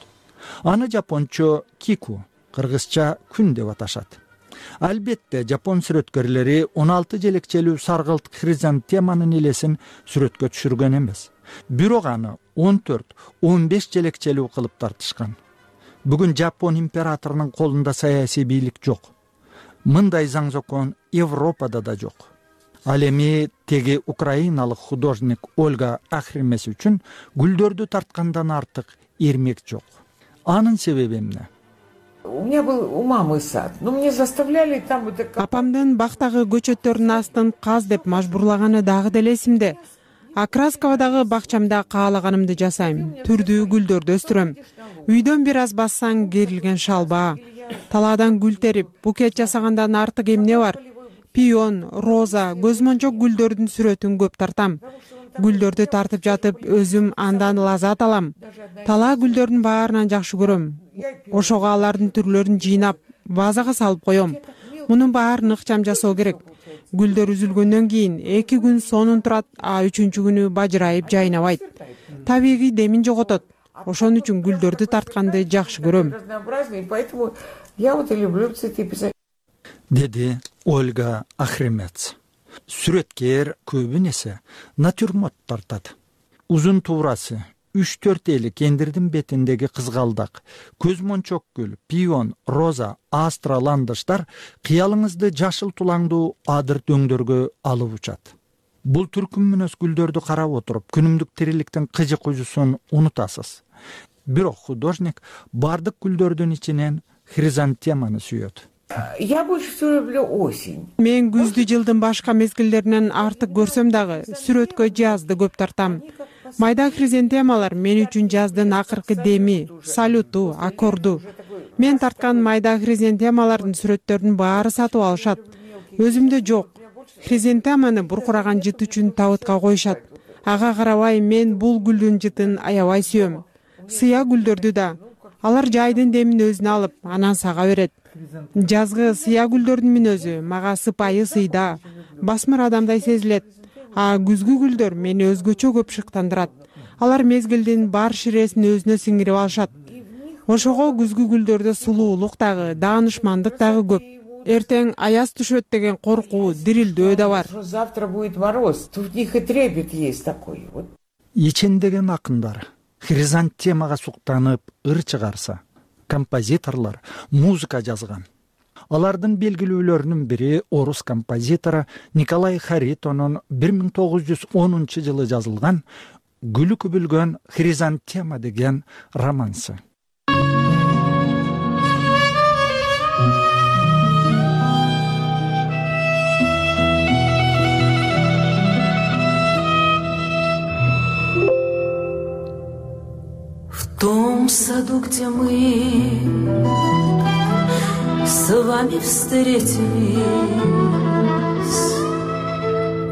Аны жапончо кику, кыргызча күн деп аташат. Албетте жапон сүрөткөрлөрү он алты желекчелүү саргылт хризантеманын элесин сүрөткө түшүргөн эмес. Бирок аны он төрт он беш желекчелүү кылып тартышкан. Бүгүн Жапон императорунун колунда саясий бийлик жок. Мындай заң закон Европада да жок. Ал эми теги украиналык художник Ольга Ахримес үчүн гүлдөрдү тарткандан артык эрмек жок. Анын себеби эмне? У меня был у мамы сад, но мне заставляли там вот так. Апамдын бактагы көчөттөрдүн астын каз деп мажбурлаганы дагы деле эсимде. А Красковадагы бакчамда каалаганымды жасайм. Түрдүү гүлдөрдү өстүрөм. Үйдөн бир аз бассаң керилген шалба, талаадан гүл терип, букет жасагандан артык эмне бар? Пион, роза, көзмончок гүлдөрдүн сүрөтүн көп тартам. Гүлдөрдү тартып жатып, өзүм андан лаззат алам. Талаа гүлдөрдүн баарынан жакшы көрөм. Ошого алардын түрлөрүн жыйнап, вазага салып коем. Мунун баарын ыкчам жасоо керек. Гүлдөр үзүлгөндөн кийин эки күн сонун турат, а үчүнчү күнү бажырайып жайнабайт. Табигый демин жоготот. Ошон үчүн гүлдөрдү тартканды жакшы көрөм. Поэтому я вот и люблю цветы писать. Деди Ольга Ахримец. Сүрөткер көбүн эсе натюрморт тартат. Узун туурасы үч төрт эли кендирдин бетиндеги кызгалдак, көзмончок гүл, пион, роза, астраландыштар кыялыңызды жашыл тулаңдуу адыр дөңдөргө алып учат. Бул түркүм мүнөз гүлдөрдү карап отуруп, күнүмдүк тириликтин кыжы куйжусун унутасыз. Бирок художник бардык гүлдөрдүн ичинен хризантеманы сүйөт. Я больше всего люблю осень. Мен күздү жылдын башка мезгилдеринен артык көрсөм дагы сүрөткө жазды көп тартам. Майда хризантемалар мен үчүн жаздын акыркы деми, салюту, аккорду. Мен тарткан майда хризантемалардын сүрөттөрүнүн баары сатып алышат. Өзүмдө жок. Хризантеманы буркураган жыт үчүн табытка коюшат. Ага карабай мен бул гүлдүн жытын аябай сүйөм. Сыя гүлдөрдү да. Алар жайдын демин өзүнө алып, анан сага берет. Жазгы сыя гүлдөрдүн мүнөзү мага сыпайы сыйда, басмыр адамдай сезилет. А күзгү гүлдөр мени өзгөчө көп шыктандырат. Алар мезгилдин бар ширесин өзүнө сиңирип алышат. Ошого күзгү гүлдөрдө сулуулук дагы, даанышмандык дагы көп. Эртең аяз түшөт деген коркуу, дирилдөө да бар. Завтра будет мороз. Тут в них и трепет есть такой. Ичендеген акындар хризантемага суктанып ыр чыгарса, композиторлор музыка жазган. Алардын белгилүүлөрүнүн бири орус композитору Николай Харитонун бир миң тогуз жүз онунчу жылы жазылган «Гүлү күбүлгөн хризантема» деген романсы. В том саду, где мы с вами встретились,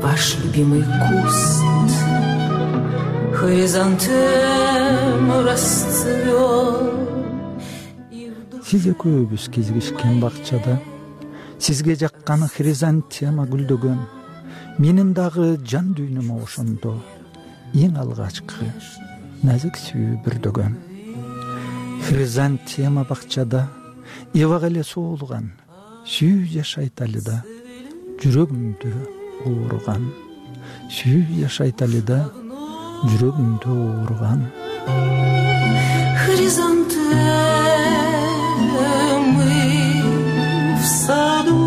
ваш любимый куст хризантем расцвел. Сиз экөөбүз кезигишкен бакчада, сизге жаккан хризантема гүлдөгөн, менин дагы жан дүйнөмө ошондо эң алгачкы назик сүйүү бүрдөгөн. Хризантема бакчада эбак эле суулган, сүйүү жашайт али да, жүрөгүмдү ооруган. Сүйүү жашайт али да, жүрөгүмдү ооруган. Хризантемы в саду.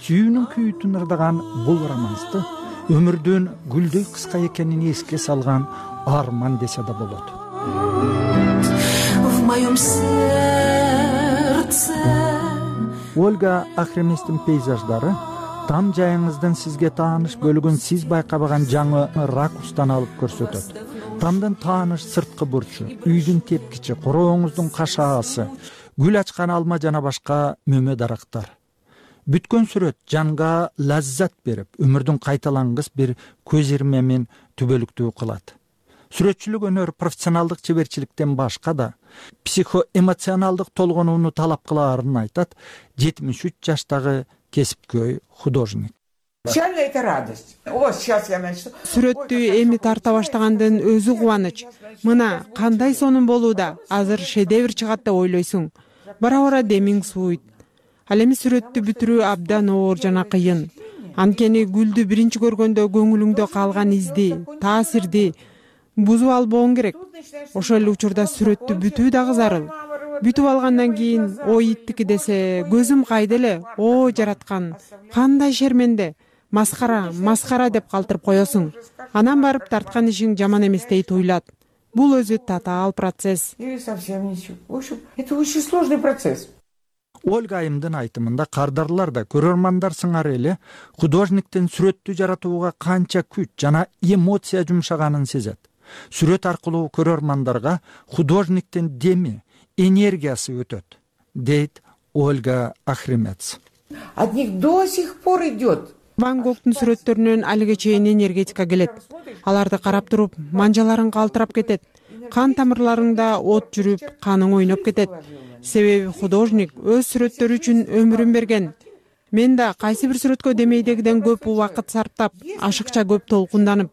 Сүйүүнүн күйүтүн ырдаган бул романсты өмүрдүн гүлдөй кыска экенин эске салган арман десе да болот. В моем сердце. Ольга Ахреместин пейзаждары там жайыңыздын сизге тааныш бөлүгүн сиз байкабаган жаңы ракурстан алып көрсөтөт. Тамдын тааныш сырткы бурчу, үйдүн тепкичи, корооңуздун кашаасы, гүл ачкан алма жана башка мөмө дарактар. Бүткөн сүрөт жанга лаззат берип, өмүрдүн кайталангыс бир көз ирмемин түбөлүктүү кылат. Сүрөтчүлүк өнөр профессионалдык чеберчиликтен башка да психоэмоционалдык толгонууну талап кылаарын айтат жетимиш үч жаштагы кесипкөй художник. Это радость. О, сейчас я начну. Сүрөттү эми тарта баштагандын өзү кубаныч. Мына кандай сонун болууда, азыр шедевр чыгат деп ойлойсуң. Бара-бара демиң сууйт. Ал эми сүрөттү бүтүрүү абдан оор жана кыйын. Анткени гүлдү биринчи көргөндө көңүлүңдө калган изди, таасирди бузуп албооң керек. Ошол эле учурда сүрөттү бүтүү дагы зарыл. Бүтүп алгандан кийин ой иттики десе, көзүм кайда эле, о жараткан, кандай шерменде, маскара, маскара деп калтырып коесуң. Анан барып тарткан ишиң жаман эместей туйлат. Бул өзү татаал процесс. Или совсем ничего. В общем, это очень сложный процесс. Ольга Айымдын айтымында кардарлар да көрөрмандар сыңары эле художниктин сүрөттү жаратууга канча күч жана эмоция жумшаганын сезет. Сүрөт аркылуу көрөрмандарга художниктин деми, энергиясы өтөт, дейт Ольга Ахримец. От них до сих пор идет. Ван Гогтун сүрөттөрүнөн алиге чейин энергетика келет. Аларды карап туруп, манжаларың калтырап кетет. Кан тамырларыңда от жүрүп, каның ойноп кетет. Себеби художник өз сүрөттөрү үчүн өмүрүн берген. Мен да кайсы бир сүрөткө демейдегиден көп убакыт сарптап, ашыкча көп толкунданып,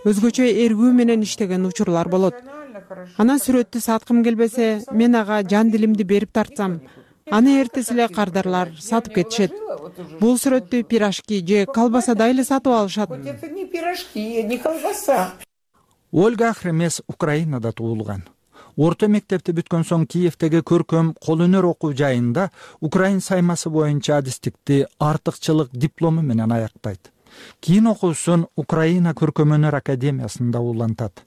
өзгөчө эргүү менен иштеген учурлар болот. Анан сүрөттү саткым келбесе, мен ага жан дилимди берип тартсам, аны эртеси эле кардарлар сатып кетишет. Бул сүрөттү пирожки же колбасадай эле сатып алышат. Это не пирожки, не колбаса. Ольга Ахремес Украинада туулган. Орто мектепти бүткөн соң Киевдеги көркөм кол өнөр окуу жайында украин саймасы боюнча адистикти артыкчылык диплому менен аяктайт. Кийин окуусун Украина көркөм өнөр академиясында улантат.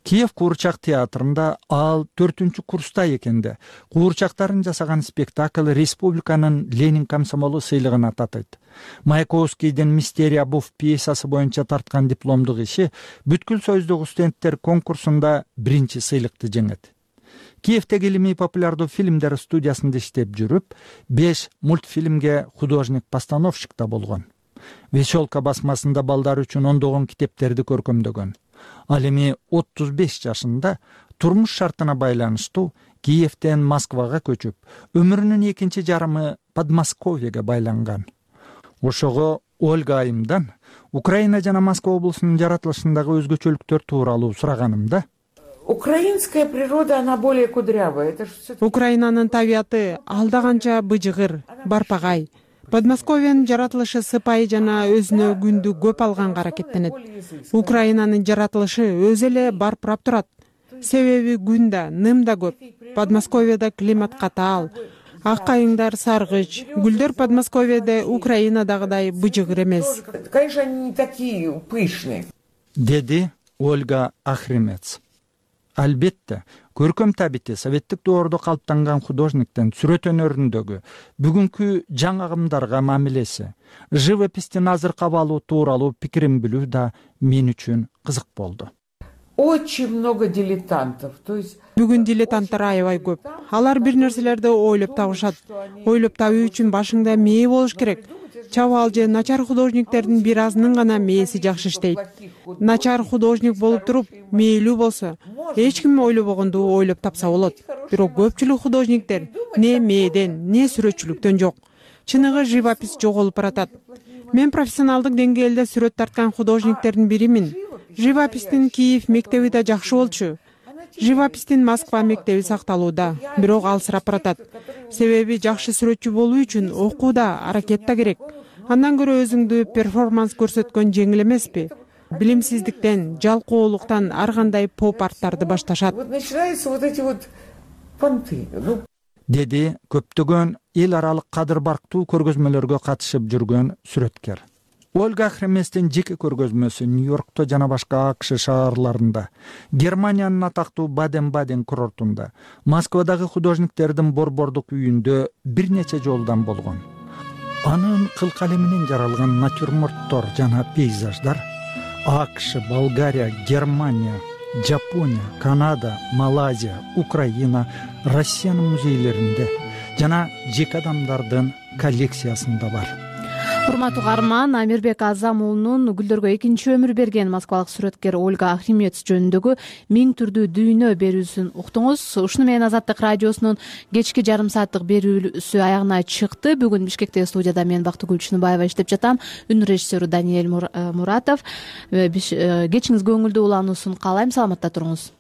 Киев куурчак театрында ал төртүнчү курста экенде куурчактарын жасаган спектакль республиканын Ленин комсомолу сыйлыгына татыйт. Маяковскийдин «Мистерия буф» пьесасы боюнча тарткан дипломдук иши бүткүл союздогу студенттер конкурсунда биринчи сыйлыкты жеңет. Киевдеги илимий популярдуу фильмдер студиясында иштеп жүрүп, беш мультфильмге художник-постановщик да болгон. Веселка басмасында балдар үчүн ондогон китептерди көркөмдөгөн. Ал эми отуз беш жашында турмуш шартына байланыштуу Киевден Москвага көчүп, өмүрүнүн экинчи жарымы Подмосковьеге байланган. Ошого Ольга Айымдан Украина жана Москва облусунун жаратылышындагы өзгөчөлүктөр тууралуу сураганымда, Украинская природа, она более кудрявая. Украинанын табияты алдаганча быжыгыр, барпагай. Подмосковьянын жаратылышы сыпайы жана өзүнө күндү көп алганга аракеттенет. Украинанын жаратылышы өзү эле барпырап турат. Себеби күн да, ным да көп. Подмосковьяда климат катаал. Ак кайыңдар саргыч, гүлдөр Подмосковьяда Украинадагыдай быжыгыр эмес. Конечно, они не такие пышные. Деди Ольга Ахримец. Албетте, көркөм табити советтик доордо калыптанган художниктин сүрөт өнөрүндөгү бүгүнкү жаңы агымдарга мамилеси, живопистин азыркы абалы тууралуу пикирин билүү да мен үчүн кызык болду. Очень много дилетантов. То есть бүгүн дилетанттар аябай көп. Алар бир нерселерди ойлоп табышат. Ойлоп табуу үчүн башыңда мээ болуш керек. Чабал же начар художниктердин бир азынын гана мээси жакшы иштейт. Начар художник болуп туруп, мээлүү болсо, эч ким ойлобогонду ойлоп тапса болот. Бирок көпчүлүк художниктер не мээден, не сүрөтчүлүктөн жок. Чыныгы живопись жоголуп баратат. Мен профессионалдык деңгээлде сүрөт тарткан художниктердин биримин. Живопистин Киев мектеби да жакшы болчу. Живопистин Москва мектеби сакталууда, бирок алсырап баратат. Себеби жакшы сүрөтчү болуу үчүн окууда, аракет да керек. Андан көрө өзүңдү перформанс көрсөткөн жеңил эмеспи? Билимсиздиктен, жалкоолуктан ар кандай поп арттарды башташат. Вот начинаются вот эти вот понты. Деди көптөгөн эл аралык кадыр барктуу көргөзмөлөргө катышып жүргөн сүрөткер. Ольга Ахреместин жеке көргөзмөсү Нью-Йоркто жана башка АКШ шаарларында, Германиянын атактуу Баден-Баден курортунда, Москвадагы художниктердин борбордук үйүндө бир нече жолдан болгон. Анын кыл калеминен жаралган натюрморттор жана пейзаждар АКШ, Болгария, Германия, Жапония, Канада, Малайзия, Украина, Россиянын музейлеринде, жана жеке адамдардын коллекциясында бар. Урматтуу угарман, Амирбек Азам уулунун гүлдөргө экинчи өмүр берген москвалык сүрөткер Ольга Ахримец жөнүндөгү миң түрдүү дүйнө берүүсүн уктуңуз. Ушуну менен Азаттык радиосунун кечки жарым сааттык берүүсү аягына чыкты. Бүгүн Бишкектеги студияда мен Бактыгүл Чыныбаева иштеп жатам. Үн режиссеру Даниэль Муратов. Кечиңиз көңүлдүү улануусун каалайм. Саламатта туруңуз.